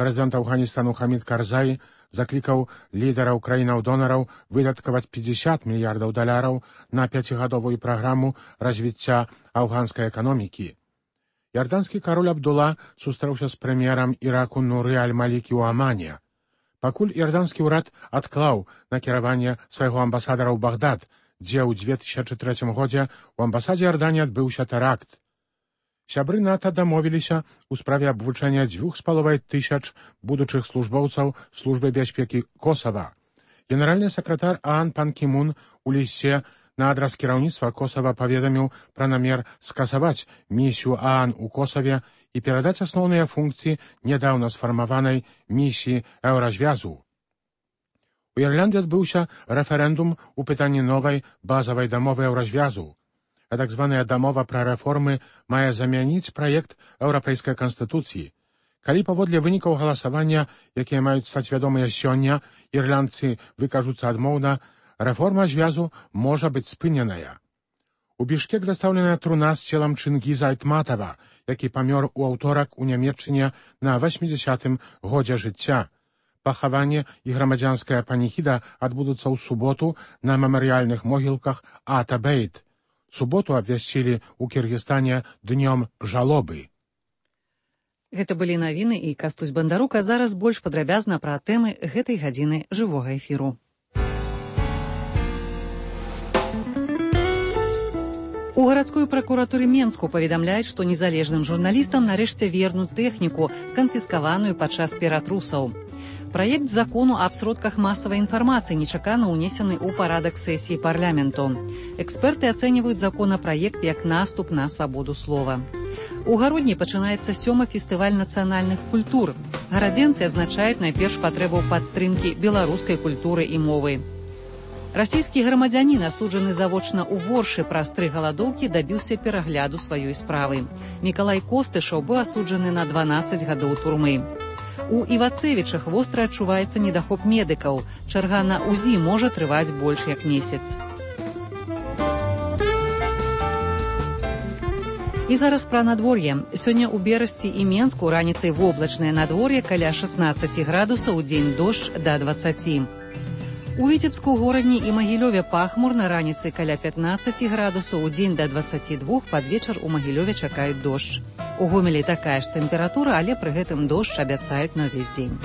Прэзідэнт Афганістану Хамід Карзай заклікаў лідараў краінаў-донараў выдаткаваць $50 мільярдаў на 5гадовую праграму развіцця афганскай эканомікі. Ярданскі кароль Абдула сустрэўся з прэм'ерам Іраку Нуры аль-Малікі ў Амане. Пакуль ярданскі ўрад адклаў накіраванне свайго амбасадара ў Багдад, дзе ў 2003 годзе у амбасадзе Ярданіі адбыўся тэракт. Сябры НАТО дамовіліся ў справе абвучэння 2500 будучых службоўцаў службы бяспекі Косава. Генеральны сакратар ААН Пан Кі Мун у лісце на адрас кіраўніцтва Косава паведаміў пра намер скасаваць місію ААН у Косаве і перадаць асноўныя функцыі нядаўна сфармаванай місіі Еўразвязу. У Ірландыі адбыўся рэферэндум у пытанні новай базавай дамовы Еўразвязу. Так званая дамова пра рэформы мае замяніць праект еўрапейскай канстытуцыі. Калі паводле вынікаў галасавання, якія маюць стаць вядомыя сёння, ірландцы выкажуцца адмоўна, рэформа звязу можа быць спыненая. У Бішкек дастаўленая труна з целам Чынгіза Айтматава, які памёр у аўторак у Нямецчыне на 80-м годзе жыцця. Пахаванне і грамадзянская паніхіда адбудуцца ў суботу на мемарыяльных могілках Ата-Бейт. Суботу абвясцілі ў Кіргізстане днём жалобы. Гэта былі навіны і Кастусь Бандарук, а зараз больш падрабязна пра тэмы гэтай гадзіны жывога эфіру. У гарадской пракуратуры Менску паведамляюць, што незалежным журналістам нарэшце вернуць тэхніку, канфіскаваную падчас ператрусаў. Праект закону аб сродках масавай інфармацыі нечакана ўнесены ў парадак сесіі парламенту. Эксперты ацэньваюць законапраект як наступ на свабоду слова. У Гародні пачынаецца 7-й фестываль нацыянальных культур. Гарадзенцы адзначаюць найперш патрэбу падтрымкі беларускай культуры і мовы. Расійскі грамадзянін, асуджаны завочна ў Воршы праз 3 галадоўкі, дабіўся перагляду сваёй справы. Мікалай Костышаў быў асуджаны на 12 гадоў турмы. У Івацевічах востра адчуваецца недахоп медыкаў. Чарга на УЗІ можа трываць больш як месяц. І зараз пра надвор'е. Сёння ў Берасці і Менску раніцай воблачнае надвор'е каля 16 градусаў, удзень дождж да 20. У Віцебску, Горадні і Магілёве пахмурна, раніцай каля 15 градусаў, удзень да 22, пад вечар у Магілёве чакаюць дождж. У Гомелі такая ж тэмпература, але пры гэтым дождж абяцаюць на ўвесь дзень.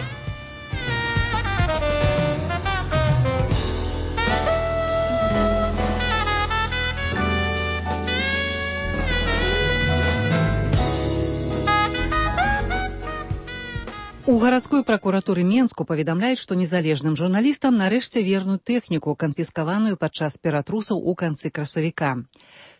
У гарадской пракуратуры Менску паведамляюць, што незалежным журналістам нарэшце вернуць тэхніку, канфіскаваную падчас ператрусаў у канцы красавіка.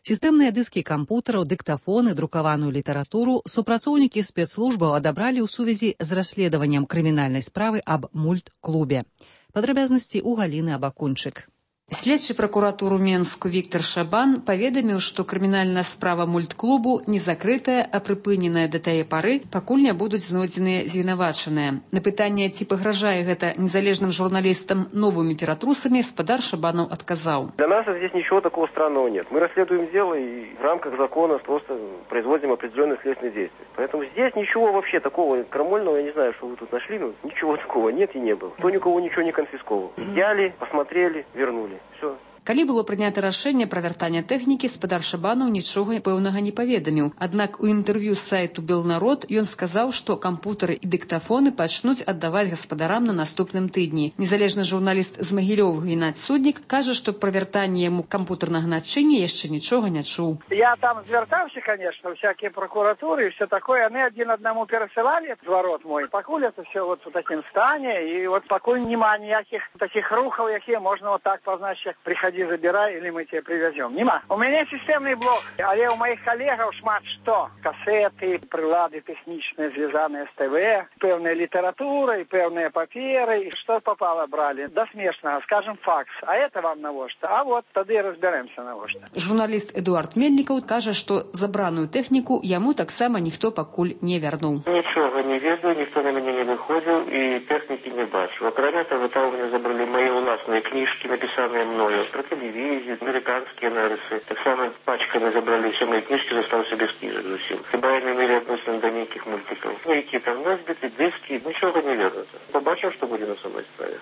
Сістэмныя дыскі кампутараў, дыктафоны, друкаваную літаратуру супрацоўнікі спецслужбаў адабралі ў сувязі з расследаваннем крымінальнай справы аб мультклубе. Падрабязнасці ў Галіны Абакунчык. Следчы пракуратуру Менску Віктор Шабан паведаміў, што крымінальная справа мультклубу не закрытая, а прыпыненая да тае пары, пакуль не будуць знойдзеныя звінавачаныя. На пытанне, ці пагражае гэта незалежным журналістам новымі ператрусамі, спадар Шабанов отказал. Для нас здесь ничего такого странного нет. Мы расследуем дело и в рамках закона просто производим определенные следственные действия. Поэтому здесь ничего вообще такого крамольного, я не знаю, что вы тут нашли, но ничего такого нет и не было. Кто никого ничего не конфисковал. Взяли, посмотрели, вернули. Все. Калі было прынята рашэнне пра вяртанне тэхнікі, спадар Шабанов нічога пэўнага не паведаміў. Аднак у інтэрв'ю з сайту «Белнарод» ён сказаў, што кампутары і дыктафоны пачнуць аддаваць гаспадарам на наступным тыдні. Незалежны журналіст з Магілёва Геннадзь Суднік кажа, што пра вяртанне яму кампутарнага начыння яшчэ нічога не чуў. Я там звяртаўся, конечно, всякие прокуратуры и все такое. Они один одному пересылали зворот мой. Покуль это все вот в таком стане, и вот покуль нема никаких таких рухов, какие можно вот так позначить, приходи, забирай, или мы тебе привезем. Нема. У меня системный блок, але у моих коллегов шмат что. Кассеты, прилады техничные, связанные с ТВ, певная литература, и певные паперы, и что попало брали. До смешного, скажем, факс. А это вам на во что? А вот тогда разберемся на во что. Журналист Эдуард Мельников кажа, што забраную тэхніку яму таксама ніхто пакуль не вярнуў. Нічога не ведаю, ніхто на мяне не выходзіў і тэхнікі не бачыў. Акрамя того, там у меня забрали мои уласныя кніжкі, напісаныя мною про телевизию, американские нарысы. Так само пачками забрали все мои книжки, застался без книжек зусім. Хіба я не имели относительно до неких мультиков. Які там носбиты, диски, нічога не вернуцца. Побачим, что будет на самой справе.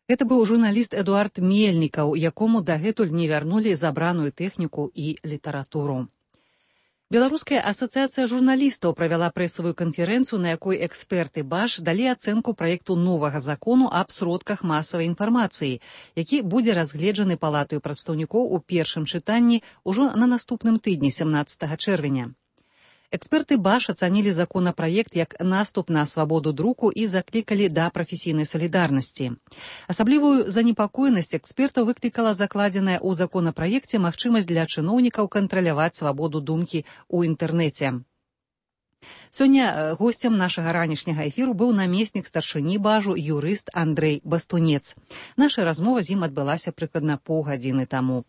Гэта быў журналіст Эдуард Мельнікаў, якому дагэтуль не вярнулі забраную тэхніку і літаратуру. Беларуская асацыяцыя журналістаў правяла прэсавую канферэнцыю, на якой эксперты БАШ далі ацэнку праекту новага закону аб сродках масавай інфармацыі, які будзе разгледжаны палатаю прадстаўнікоў у першым чытанні ўжо на наступным тыдні 17 чэрвеня. Эксперты БАШ ацанілі законапраект як наступ на свабоду друку і заклікалі да прафесійнай салідарнасці. Асаблівую занепакоенасць экспертаў выклікала закладзеная ў законапраекце магчымасць для чыноўнікаў кантраляваць свабоду думкі ў інтэрнэце. Сёння госцем нашага ранішняга эфіру быў намеснік старшыні БАЖу юрыст Андрэй Бастунец. Наша размова з ім адбылася прыкладна паўгадзіны таму.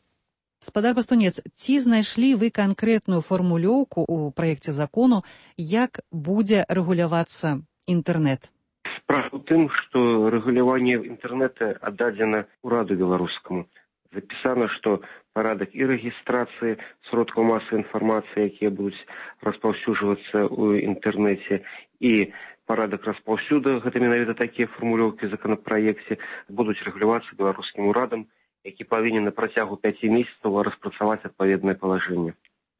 Спадар Бастунец, ці знайшлі вы канкрэтную фармулёўку ў праекце закону, як будзе рэгулявацца інтэрнэт? Справа ў тым, што рэгуляванне інтэрнэта аддадзена ўраду беларускаму. Запісана, што парадак і рэгістрацыі сродкаў масавай інфармацыі, якія будуць распаўсюджвацца ў інтэрнэце, і парадак распаўсюду, гэта менавіта такія фармулёўкі ў законапраекце, будуць рэгулявацца беларускім урадам, які павінен на працягу 5 месяцаў распрацаваць адпаведнае палажэнне.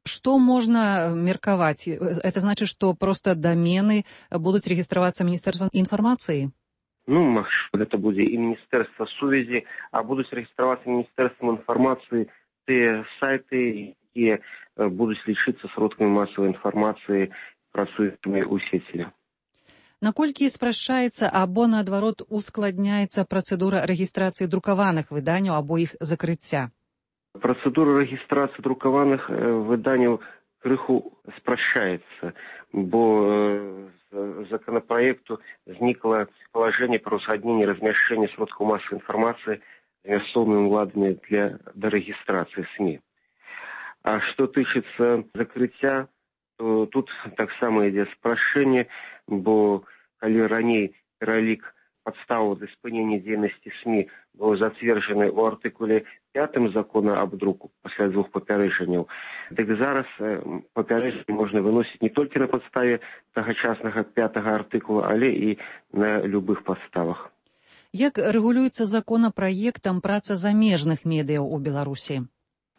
Што можна меркаваць? Это значит, што проста дамены будуць рэгістравацца Міністэрствам інфармацыі? Ну, гэта будзе і Міністэрства сувязі, а будуць рэгістравацца Міністэрствам інфармацыі тыя сайты, якія будуць лічыцца сродкамі масавай інфармацыі, працуючымі ў сеці. Наколькі спрашчаецца або, наадварот, ускладняецца працэдура рэгістрацыі друкаваных выданняў або іх закрыцця? Працэдура рэгістрацыі друкаваных выданняў крыху спрашчаецца, бо з законапраекту знікла палажэнне пра ўзгадненне размяшчэння сродкаў масавай інфармацыі з мясцовымі ўладамі для рэгістрацыі СМІ. А што тычыцца закрыцця, то тут таксама ідзе спрашчэнне, бо калі раней пералік падставаў для спынення дзейнасці СМІ быў зацверджаны ў артыкуле 5 закона аб друку пасля 2 папярэджанняў, дык зараз папярэджанне можна выносіць не толькі на падставе тагачаснага 5 артыкула, але і на любых падставах. Як рэгулюецца законапраектам праца замежных медыяў у Беларусі?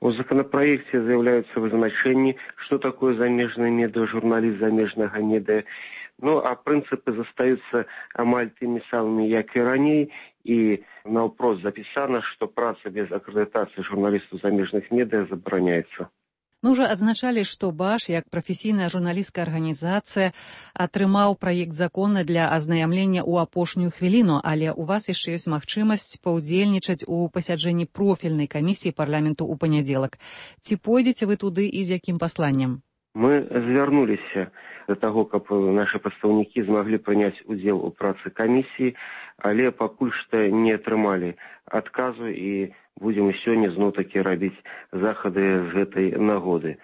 У законопроекте заявляются вызначения, что такое замежное медиа, журналист замежного медиа. Ну, а принципы застаются амаль теми самыми, як и ранее. И на вопрос записано, что праца без аккредитации журналистов замежных медиа забороняется. Мы ўжо адзначалі, што БАШ, як прафесійная журналісцкая арганізацыя, атрымаў праект закона для азнаямлення ў апошнюю хвіліну, але ў вас яшчэ ёсць магчымасць паўдзельнічаць у пасяджэнні профільнай камісіі парламенту ў панядзелак. Ці пойдзеце вы туды і з якім пасланнем? Мы звярнуліся да таго, каб нашы прадстаўнікі змаглі прыняць удзел у працы камісіі, але пакуль што не атрымалі адказу і будзем сёння зноў-такі рабіць захады з гэтай нагоды.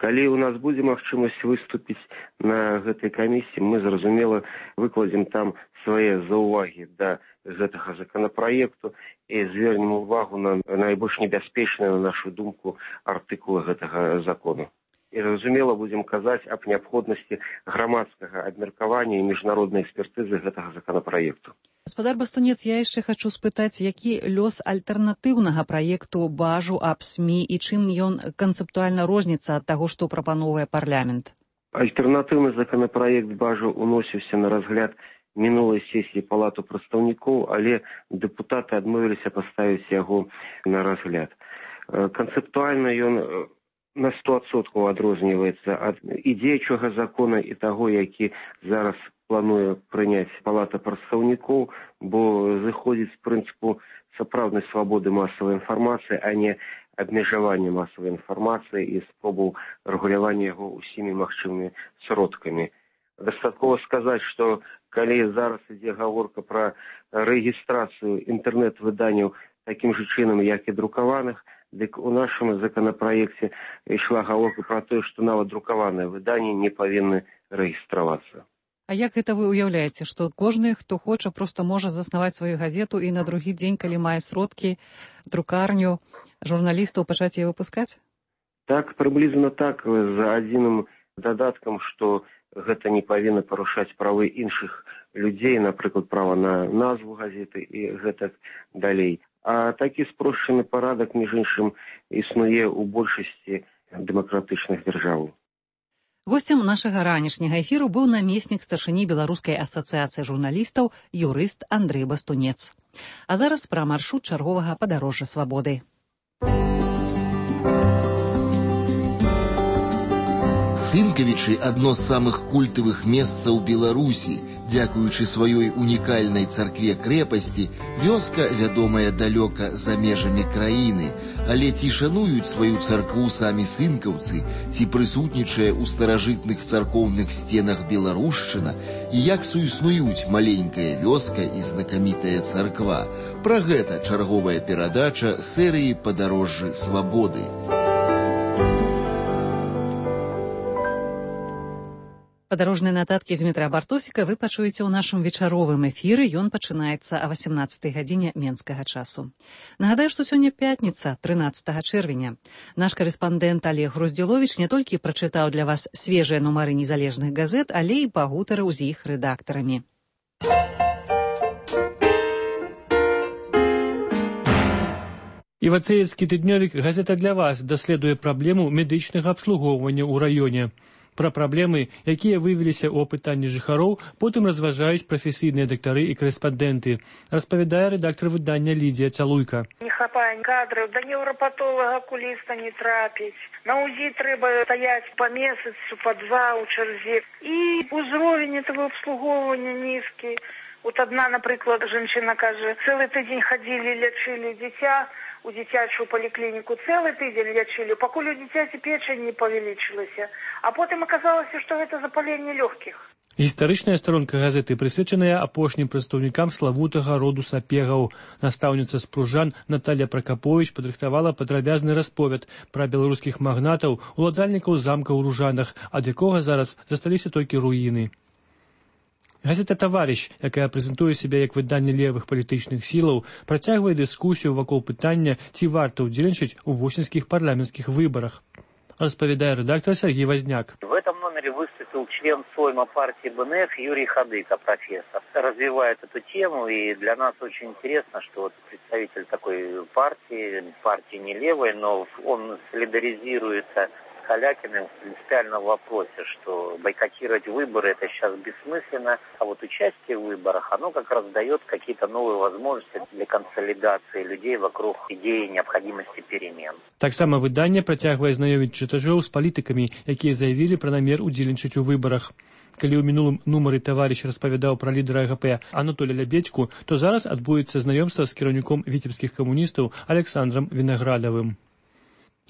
Калі ў нас будзе магчымасць выступіць на гэтай камісіі, мы, зразумела, выкладзем там свае заўвагі да гэтага законапраекту і звернем увагу на найбольш небяспечныя, на нашу думку, артыкулы гэтага закону. І, зразумела, будзем казаць аб неабходнасці грамадскага абмеркавання і міжнароднай экспертызы гэтага законапраекту. Гаспадар Бастунец, я яшчэ хачу спытаць, які лёс альтэрнатыўнага праекту БАЖу аб СМІ і чым ён канцэптуальна розніцца ад таго, што прапановвае парламент? Альтэрнатыўны законапраект БАЖу уносіўся на разгляд мінулай сесіі Палату прадстаўнікоў, але дэпутаты адмовіліся паставіць яго на разгляд. Канцэптуальна ён на 100% адрозніваецца ад ідзеючага закона і таго, які зараз плануе прыняць Палата прадстаўнікоў, бо зыходзіць з прынцыпу сапраўднай свабоды масавай інфармацыі, а не абмежавання масавай інфармацыі і спробаў рэгулявання яго ўсімі магчымымі сродкамі. Дастаткова сказаць, што калі зараз ідзе гаворка пра рэгістрацыю інтэрнэт-выданняў такім жа чынам, як і друкаваных, дык у нашым законапраекце ішла гаворка пра тое, што нават друкаваныя выданні не павінны рэгістравацца. А як гэта вы ўяўляеце, што кожны, хто хоча, проста можа заснаваць сваю газету і на другі дзень, калі мае сродкі, друкарню, журналістаў пачаць яе выпускаць? Так, прыблізна так, з адзіным дадаткам, што гэта не павінна парушаць правы іншых людзей, напрыклад, права на назву газеты і гэтак далей. А такі спрошчаны парадак, між іншым, існуе ў большасці дэмакратычных дзяржаў. Госцем нашага ранішняга эфіру быў намеснік старшыні Беларускай асацыяцыі журналістаў, юрыст Андрэй Бастунец. А зараз пра маршрут чарговага падарожжа свабоды. Сынкавічы – адно з самых культавых месцаў Беларусі. Дзякуючы сваёй унікальнай царкве-крэпасці, вёска вядомая далёка за межамі краіны. Але ці шануюць сваю царкву самі сынкаўцы, ці прысутнічае ў старажытных царкоўных сценах беларушчына, і як суіснуюць маленькая вёска і знакамітая царква. Пра гэта чарговая перадача серыі «Падарожжы свабоды». Падарожныя нататкі з метра Бартосіка вы пачуеце ў нашым вечаровым эфіры. Ён пачынаецца а 18 гадзіне менскага часу. Нагадаю, што сёння пятніца, 13 чэрвеня. Наш карэспандэнт Олег Груздзіловіч не толькі прачытаў для вас свежыя нумары незалежных газет, але і пагутарыў з іх рэдактарамі. Івацеецкі тыднёвік «Газета для вас» даследуе праблему медычнага абслугоўвання ў раёне. Пра праблемы, якія выявіліся ў апытанні жыхароў, потым разважаюць прафесійныя дактары і корэспандэнты, распавядае рэдактар выдання Лідія Цалуйка. Не хапае кадраў, да неўрапатолага акуліста не трапіць. На УЗІ трэба стаяць па месяцу, па два ў чарзе. І ўзровень этого абслугоўвання нізкі. Вот одна, напрыклад, жанчына кажа, цэлы тыдзень хадзілі, лячылі дзіця, у дзіцячую паліклініку цэлы тыдзень лячылі, пакуль у дзіцяці печань не павялічылася. А потым аказалася, што гэта запаленне лёгкіх. Гістарычная старонка газеты прысвечаная апошнім прадстаўнікам славутага роду сапегаў. Настаўніца з Пружан Наталья Пракаповіч падрыхтавала падрабязны расповед пра беларускіх магнатаў, уладальнікаў замка ў Ружанах, ад якога зараз засталіся толькі руіны. Газета «Таварыш», якая прэзентуе сябе як выданне левых палітычных сілаў, працягвае дыскусію вакол пытання, ці варта ўдзельнічаць у восеньскіх парламенцкіх выбарах. Распавядае рэдактор Сергей Возняк. В этом номере выступил член Сойма партии БНФ Юрий Хадыка, профессор. Развивает эту тему, и для нас очень интересно, что вот представитель такой партии не левой, но он солидаризируется с Калякиным принципиально в вопросе, что бойкотировать выборы это сейчас бессмысленно, а вот участие в выборах, оно как раз дает какие-то новые возможности для консолидации людей вокруг идеи необходимости перемен. Таксама выданне працягвае знаёміць чытачоў з палітыкамі, якія заявілі пра намер удзельнічаць у выбарах. Калі ў мінулым нумары таварыш распавядаў пра лідара АГП Анатолія Лябедзьку, то зараз адбудзецца знаёмства з кіраўніком віцебскіх камуністаў Александрам Вінаградавым.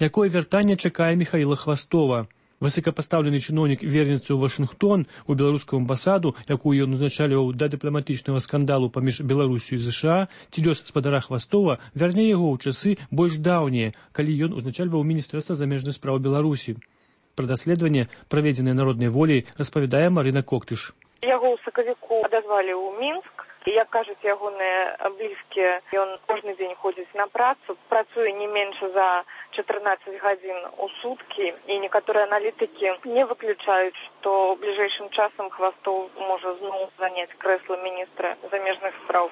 Якое вяртанне чакае Міхаіла Хвастова? Высокапастаўлены чыноўнік вернецца ў Вашынгтон, у беларускую амбасаду, якую ён узначальваў да дыпламатычнага скандалу паміж Беларусю і ЗША, ці лёс спадара Хвастова вярне яго ў часы больш даўнія, калі ён узначальваў Міністэрства замежных спраў Беларусі. Пра даследаванне, праведзенае народнай волей, распавядае Марына Коктыш. Яго ў сакавіку адазвалі ў Мінск. Як кажуць ягоныя блізкія, ён кожны дзень ходзіць на працу, працуе не менш за 14 гадзін у суткі, і некаторыя аналітыкі не выключаюць, што бліжэйшым часам Хвастов можа зноў заняць крэсла міністра замежных спраў.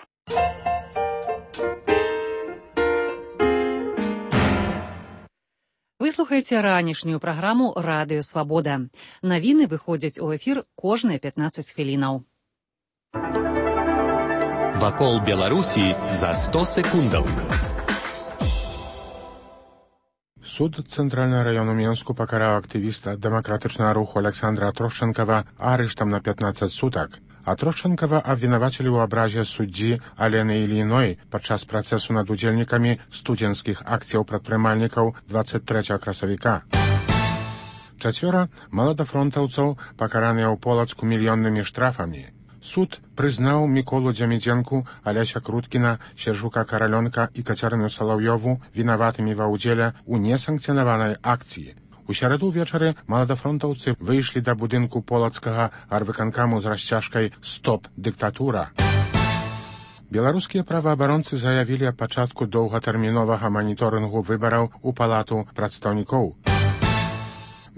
Вы слухаеце ранішнюю праграму «Радыё Свабода». Навіны выходзяць у эфір кожныя 15 хвілінаў. Вакол Беларусі за 100 секундаў. Суд Цэнтральнага раёну Менску пакараў актывіста дэмакратычнага руху Александра Трошчэнкава арыштам на 15 сутак. А Трошчэнкава абвінавацілі ў абразе суддзі Алены Ільіной падчас працэсу над удзельнікамі студзенцкіх акцыяў прадпрымальнікаў 23 красавіка. 4 маладафронтаўцаў пакараныя ў Полацку мільённымі штрафамі. Суд прызнаў Міколу Дзямідзенку, Аляся Круткіна, Сержука Каралёнка і Кацярыну Салаўёву вінаватымі ва ўдзеле ў несанкцыянаванай акцыі. У сераду ўвечары маладафронтаўцы выйшлі да будынку полацкага арвыканкаму з расцяжкай «Стоп, дыктатура». Беларускія праваабаронцы заявілі аб пачатку доўгатэрміновага маніторынгу выбараў у палату прадстаўнікоў.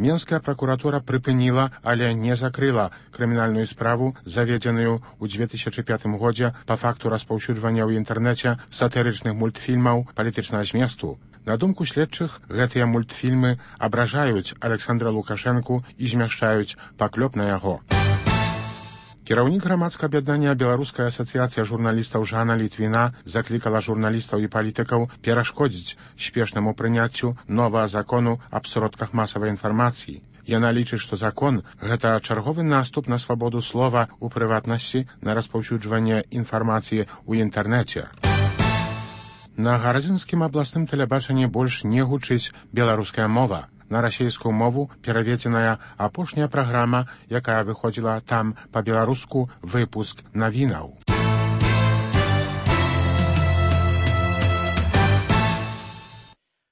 Менская пракуратура прыпыніла, але не закрыла крымінальную справу, заведзеную ў 2005 годзе па факту распаўсюджвання ў інтэрнэце сатырычных мультфільмаў палітычнага зместу. На думку следчых, гэтыя мультфільмы абражаюць Александра Лукашэнку і змяшчаюць паклёп на яго. Кіраўнік грамадскага аб'яднання Беларуская асацыяцыя журналістаў Жанна Літвіна заклікала журналістаў і палітыкаў перашкодзіць спешнаму прыняццю новага закону аб сродках масавай інфармацыі. Яна лічыць, што закон – гэта чарговы наступ на свабоду слова, у прыватнасці, на распаўсюджванне інфармацыі ў інтэрнэце. На гарадзінскім абласным тэлебачанні больш не гучыць беларуская мова. На расійскую мову пераведзеная апошняя праграма, якая выходзіла там па-беларуску выпуск навінаў.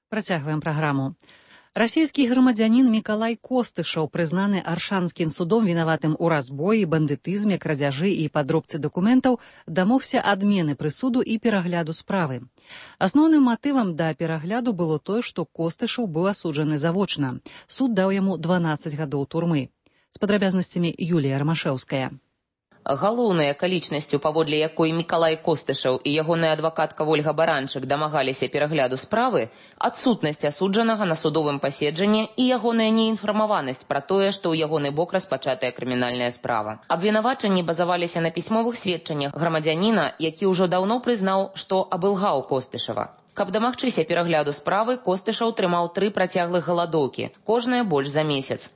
Працягваем праграму. Расійскі грамадзянін Мікалай Костышаў, прызнаны Аршанскім судом вінаватым у разбоі, бандытызме, крадзяжы і падробцы дакументаў, дамогся адмены прысуду і перагляду справы. Асноўным матывам да перагляду было тое, што Костышаў быў асуджаны завочна. Суд даў яму 12 гадоў турмы. З падрабязнасцямі Юлія Рамашэўская. Галоўнай акалічнасцю, паводле якой Мікалай Костышаў і ягоная адвакатка Вольга Баранчык дамагаліся перагляду справы, адсутнасць асуджанага на судовым паседжанні і ягоная неінфармаванасць пра тое, што ў ягоны бок распачатая крымінальная справа. Абвінавачанні базаваліся на пісьмовых сведчаннях грамадзяніна, які ўжо даўно прызнаў, што абылгаў Костышава. Каб дамагчыся перагляду справы, Костышаў трымаў 3 працяглых галадоўкі, кожная больш за месяц.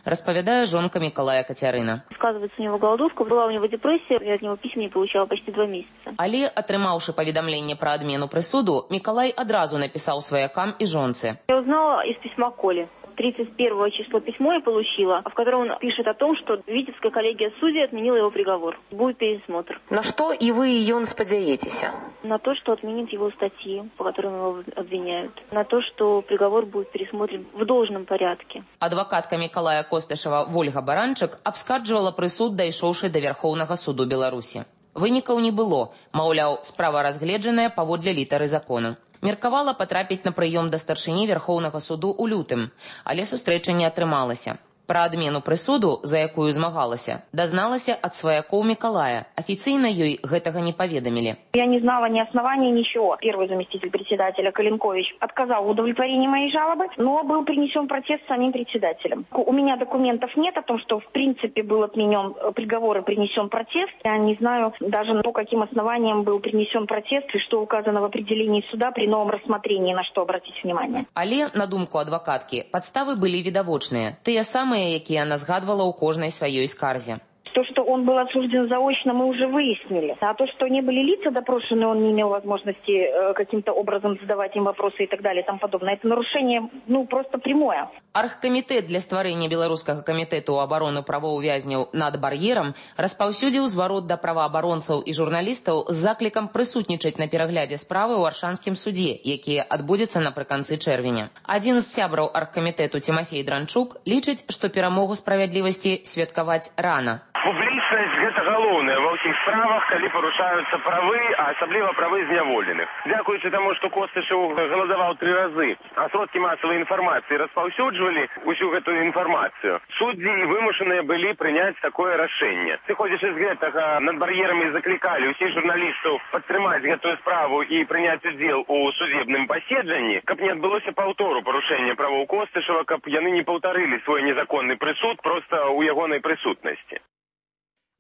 Распавядае жонка Мікалая Кацярына. Сказывается у него голодовка, была у него депрессия, я от него писем не получала почти 2 месяца. Але, атрымаўшы паведамленне пра адмену прысуду, Мікалай адразу напісаў сваякам і жонцы. Я узнала из письма Коли. 31 число письмо я получила, в котором он пишет о том, что Витебская коллегия судей отменила его приговор. Будет пересмотр. На что и вы, и он спадзяетесь? На то, что отменит его статьи, по которым его обвиняют. На то, что приговор будет пересмотрен в должном порядке. Адвакатка Мікалая Костышава Вольга Баранчык абскарджвала прысуд, дайшоўшы да Вярхоўнага суду Беларусі. Вынікаў не было, маўляў, справа разгледжаная паводле літары закону. Меркавала патрапіць на прыём да старшыні Вярхоўнага суду ў лютым, але сустрэча не атрымалася. Пра адмену прысуду, за якую змагалася, дазналася ад сваякоў Миколая. Афіцыйна ёй гэтага не паведамілі. Я не знала ни оснований, ничего. Первый заместитель председателя Калинкович отказал в удовлетворении моей жалобы, но был принесен протест самим председателем. У меня документов нет о том, что в принципе был отменен приговор и принесен протест. Я не знаю даже по каким основаниям был принесен протест и что указано в определении суда при новом рассмотрении, на что обратить внимание. Але, на думку адвокатки, подставы были видовочные. Тыя самые, якія она згадвала у кожнай сваёй скарзе. То, что он был осужден заочно, мы уже выяснили. А то, что не были лица допрошены, он не имел возможности каким-то образом задавать им вопросы и так далее и тому подобное. Это нарушение, просто прямое. Аргкамітэт для стварэння беларускага камітэту абароны правоў вязняў над бар'ерам распаўсюдзіў зварот да праваабаронцаў і журналістаў з заклікам прысутнічаць на пераглядзе справы ў Аршанскім судзе, які адбудзецца напрыканцы чэрвеня. Адзін з сябраў аргкамітэту Тимофей Дранчук лічыць, што перамогу справядлівасці святкаваць рана. Публічнасць – гэта галоўнае ва ўсіх справах, калі парушаюцца правы, а асабліва правы зняволеных. Дзякуючы таму, што Костышаў галадаваў 3 разы, а сродкі масавай інфармацыі распаўсюджвалі ўсю гэтую інфармацыю, суддзі вымушаныя былі прыняць такое рашэнне. Сыходзячы з гэтага, над бар'ерамі заклікалі ўсіх журналістаў падтрымаць гэтую справу і прыняць удзел у судебным паседжанні, каб не адбылося паўтору парушэння правоў Костышава, каб яны не паўтарылі свой незаконны прысуд проста ў ягонай прысутнасці.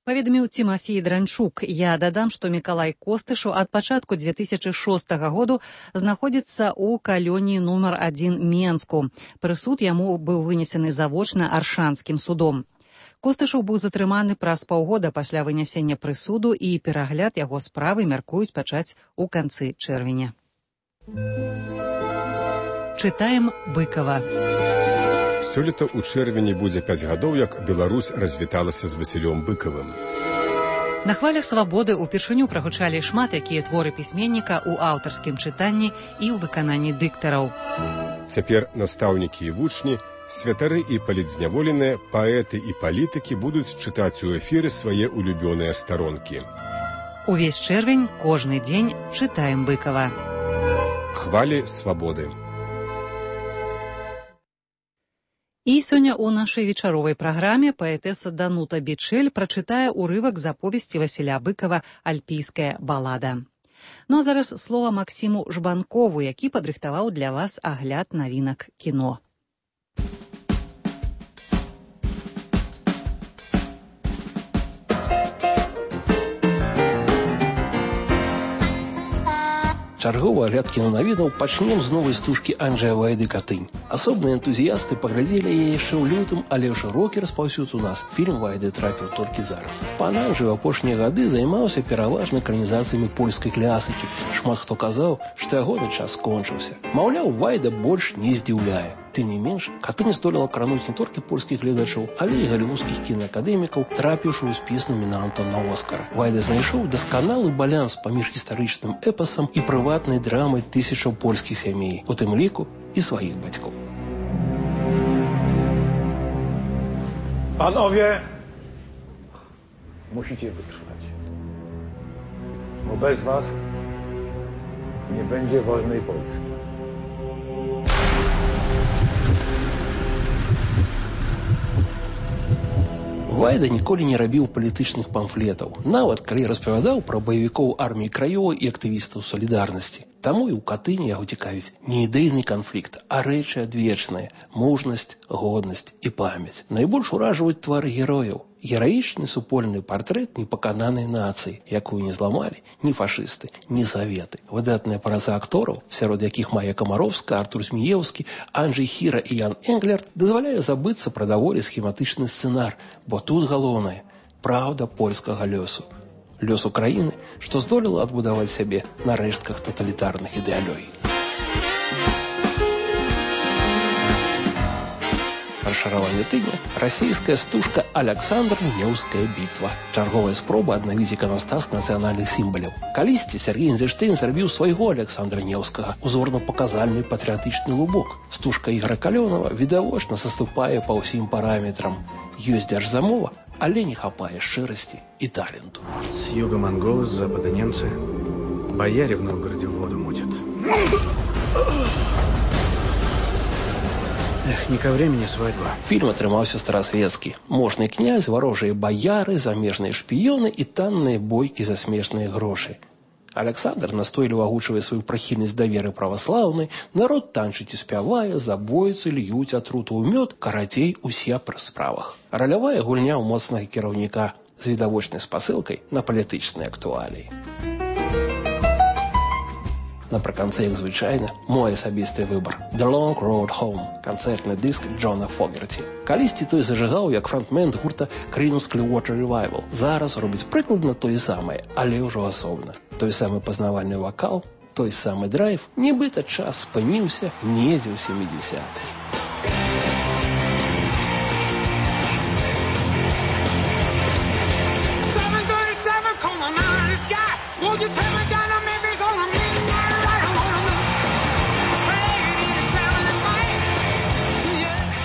Паведаміў Тимофей Дранчук. Я дадам, што Миколай Костышаў ад пачатку 2006 году знаходзіцца ў калоніі нумар 1 Менску. Прысуд яму быў вынесены завочна Аршанскім судом. Костышаў быў затрыманы праз паўгода пасля вынясення прысуду і перагляд яго справы мяркуюць пачаць у канцы чэрвеня. Чытаем Быкова. Сёлета ў чэрвені будзе 5 гадоў, як Беларусь развіталася з Васілём Быкавым. На хвалях свабоды ўпершыню прагучалі шмат якія творы пісьменніка ў аўтарскім чытанні і ў выкананні дыктараў. Цяпер настаўнікі і вучні, святары і палітзняволеныя, паэты і палітыкі будуць чытаць у эфіры свае улюбёныя старонкі. Увесь чэрвень, кожны дзень чытаем Быкава. Хвалі свабоды. І сёння ў нашай вечаровай праграме паэтэса Данута Бичель прачытае ўрывак з аповесці Васіля Быкава «Альпійская балада». Ну а зараз слова Максіму Жбанкову, які падрыхтаваў для вас агляд навінак кіно. Чарговы агляд кінонавідаў пачнем з новай стужкі Анджэя Вайды «Катынь». Асобныя энтузіясты паглядзелі яе яшчэ ў лютым, але шырокі распаўсюд у нас фільм Вайды трапіў толькі зараз. Пан Анджэй у апошнія гады займаўся пераважна экранізацыямі польскай клясыкі. Шмат хто казаў, што ягоны час скончыўся. Маўляў, Вайда больш не здзіўляе. Тым не менш, «Катынь» здолела крануць не толькі польскіх гледачоў, але і галівудскіх кінаакадэмікаў, трапіўшы ў спіс намінантаў на Оскар. Вайда знайшоў дасканалы баланс паміж гістарычным эпасам і прыватнай драмай тысячаў польскіх сямей, у тым ліку і сваіх бацькоў. Panowie, musicie wytrwać, bo bez was nie będzie wolnej Polski. Вайда ніколі не рабіў палітычных памфлетаў, нават калі распавядаў пра баевікоў арміі краёвай і актывістаў салідарнасці. Таму і ў «Катыні» яго цікавіць не ідэйны канфлікт, а рэчы адвечныя – мужнасць, годнасць і памяць. Найбольш уражваюць твары герояў. Гераічны супольны партрэт непакананай нацыі, якую не зламалі ні фашысты, ні саветы. Выдатная праца актораў, сярод якіх Майя Камаровска, Артур Зміеўскі, Анджэй Хіра і Ян Энглерт, дазваляе забыцца пра даволі схематычны сцэнар, бо тут галоўнае – праўда польскага лёсу. Лёсу краіны, што здолела адбудаваць сябе на рэштках таталітарных ідэалёй. Расшараванне тыдня – расійская стужка «Аляксандр Неўская бітва». Чарговая спроба аднавіць іканастас нацыянальных сімваляў. Калісьці Сергей Эйнзенштейн зрабіў свайго Аляксандра Неўскага, узорна-паказальны патрыятычны лубок. Стужка Ігора Калёнава відавочна саступае па ўсім параметрам. Ёсць дзяржзамова, але не хапае шчырасці і таленту. С юга монголы, с запада немцы. Бояре в Новгороде воду мутят. Эх, не ко времени свадьба. Фильм атрымаўся старасветскі. Можны князь, варожыя баяры, замежныя шпіёны і танныя бойкі за смешныя грошы. Александр настойліва агучвае сваю прыхільнасць да веры праваслаўнай, народ танчыць і спявае, забойцы льюць атруту ў мёд, карацей, усе пры справах. Ралявая гульня ў моцнага кіраўніка з відавочнай спасылкай на палітычныя актуаліі. Напрыканцы, як звычайна, мой асабісты выбар. The Long Road Home, канцэртны дыск Джона Фогерці. Калісьці той зажыгаў як фронтмен гурта Creedence Clearwater Revival. Зараз робіць прыкладна тое самае, але ўжо асобна. Той самы пазнавальны вакал, той самы драйв, нібыта час спыніўся недзе ў 70-е.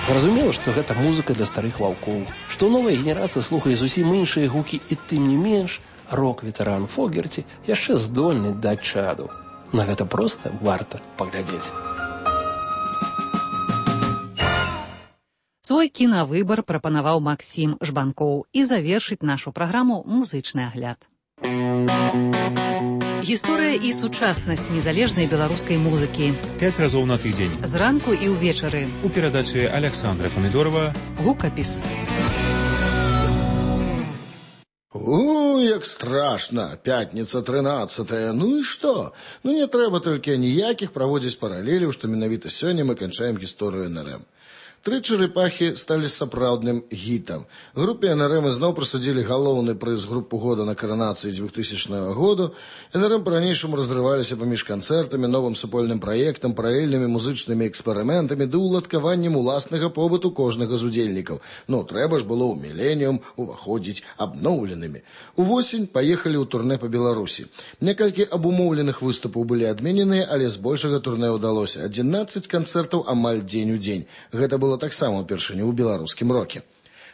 Зразумела, што гэта музыка для старых ваўкоў, што новая генерацыя слухае зусім іншыя гукі і тым не менш рок-ветэран Фогерці яшчэ здольны даць чаду. На гэта проста варта паглядзець. Свой кінавыбар прапанаваў Максім Жбанкоў і завершыць нашу праграму музычны агляд. Гісторыя і сучаснасць незалежнай беларускай музыкі. 5 разоў на тыдзень. Зранку і ўвечары. У перадачы Александра Памідорова. Гукапіс. Як страшна. Пятніца 13-е. Ну і што? Ну не трэба толькі ніякіх праводзіць паралеляў, што менавіта сёння мы канчаем гісторыю НРМ. Тры чарапахі сталі сапраўдным гітам. Групе НРМ ізноў прысудзілі галоўны прыз групу года на каранацыі 2000 году. НРМ па-ранейшаму разрываліся паміж канцэртамі, новым супольным праектам, паралельнымі музычнымі эксперыментамі ды ўладкаваннем уласнага побыту кожнага з удзельнікаў. Ну, трэба ж было ў міленіум уваходзіць абноўленымі. Увосень паехалі ў турнэ па Беларусі. Некалькі абумоўленых выступаў былі адмененыя, але збольшага турнэ ўдалося. 11 канцэртаў амаль дзень у дзень. Гэта было таксама ўпершыню ў беларускім роке.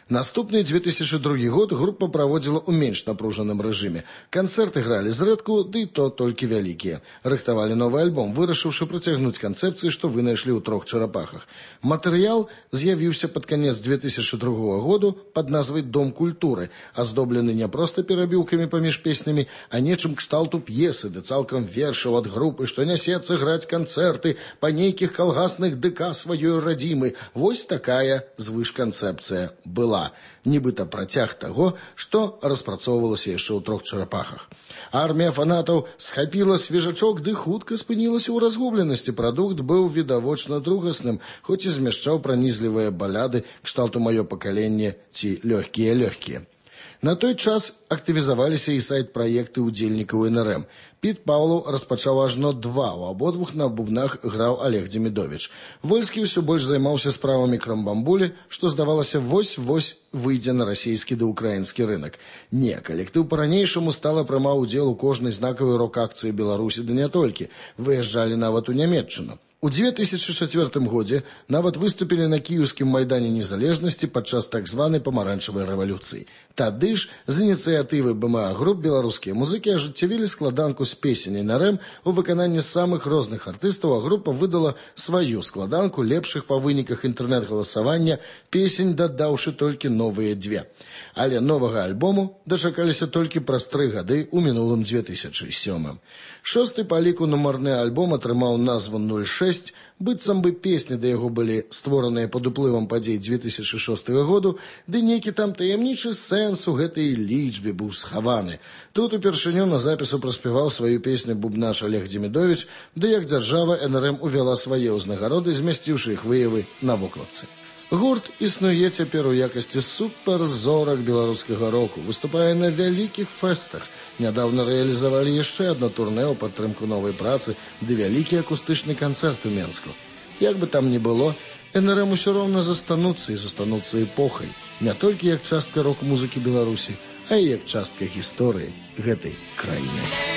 Наступны 2002 год група праводзіла ў менш напружаным рэжыме. Канцэрты гралі зрэдку, ды то толькі вялікія. Рыхтавалі новы альбом, вырашыўшы працягнуць канцэпцыі, што вынайшлі ў 3 чарапахах. Матэрыял з'явіўся пад канец 2002 году пад назвай «Дом культуры», аздоблены не проста перабіўкамі паміж песнямі, а нечым кшталту п'есы, ды цалкам вершаў ад групы, што нясецца граць канцэрты па нейкіх калгасных ДК сваёй радзімы. Вось такая звышканцэпцыя была. Нібыта працяг таго, што распрацоўвалася яшчэ ў 3 чарапахах. Армія фанатаў схапіла свежачок, ды хутка спынілася ў разгубленасці. Прадукт быў відавочна другасным, хоць і змяшчаў пранізлівыя баляды кшталту «Маё пакаленне» ці «Лёгкія-лёгкія». На той час актывізаваліся і сайт-праекты ўдзельнікаў НРМ. Піт Паўлаў распачаў ажно 2, у абодвух на бубнах граў Олег Демідовіч. Вольскі ўсё больш займаўся справамі крамбамбулі, што, здавалася, вось-вось выйдзе на расійскі ды ўкраінскі рынак. Не, калектыў па-ранейшаму стала прымаў удзел у кожнай знакавай рок-акцыі Беларусі, ды не толькі. Выязджалі нават у Нямецчыну. У 2004 годзе нават выступілі на кіеўскім майдане незалежнасці падчас так званай памаранчавай рэвалюцыі. Тады ж з ініцыятывы БМА груп беларускія музыкі ажыццявілі складанку з песень НРМ у выкананні самых розных артыстаў, а група выдала сваю складанку лепшых па выніках інтэрнэт-галасавання песень, дадаўшы толькі новыя 2. Але новага альбому дачакаліся толькі праз 3 гады ў мінулым 2007. 6-й па ліку нумарны альбом атрымаў назву 06, быццам бы песні да яго былі створаныя пад уплывам падзей 2006 году, ды нейкі там таямнічы сэнс у гэтай лічбе быў схаваны. Тут упершыню на запісу праспяваў сваю песню бубнаш Олег Демідовіч, ды як дзяржава НРМ увяла свае ўзнагароды, змясціўшы іх выявы на вокладцы. Гурт існуе цяпер у якасці суперзорак беларускага року, выступае на вялікіх фэстах. Нядаўна рэалізавалі яшчэ адно турнэ ў падтрымку новай працы ды вялікі акустычны канцэрт у Менску. Як бы там ні было, НРМ усё роўна застануцца эпохай, не толькі як частка рок-музыкі Беларусі, а і як частка гісторыі гэтай краіны.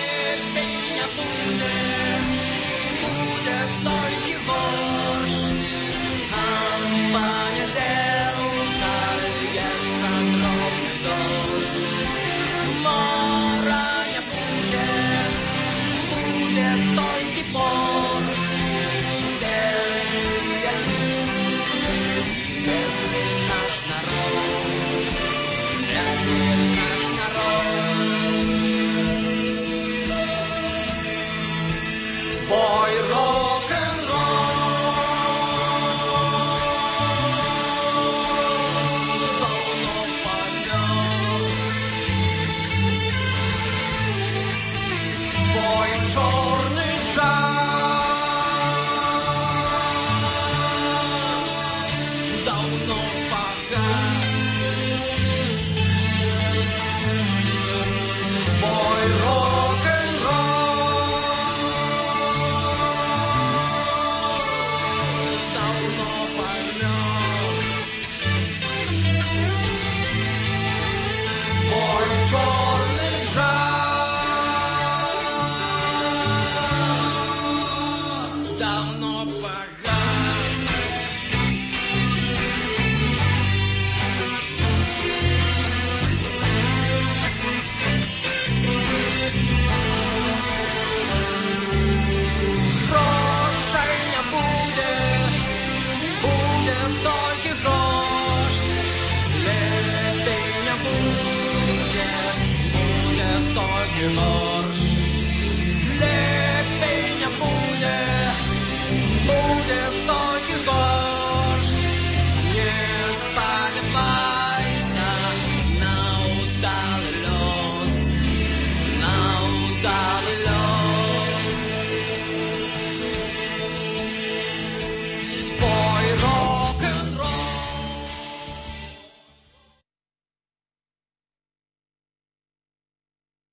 nie ma.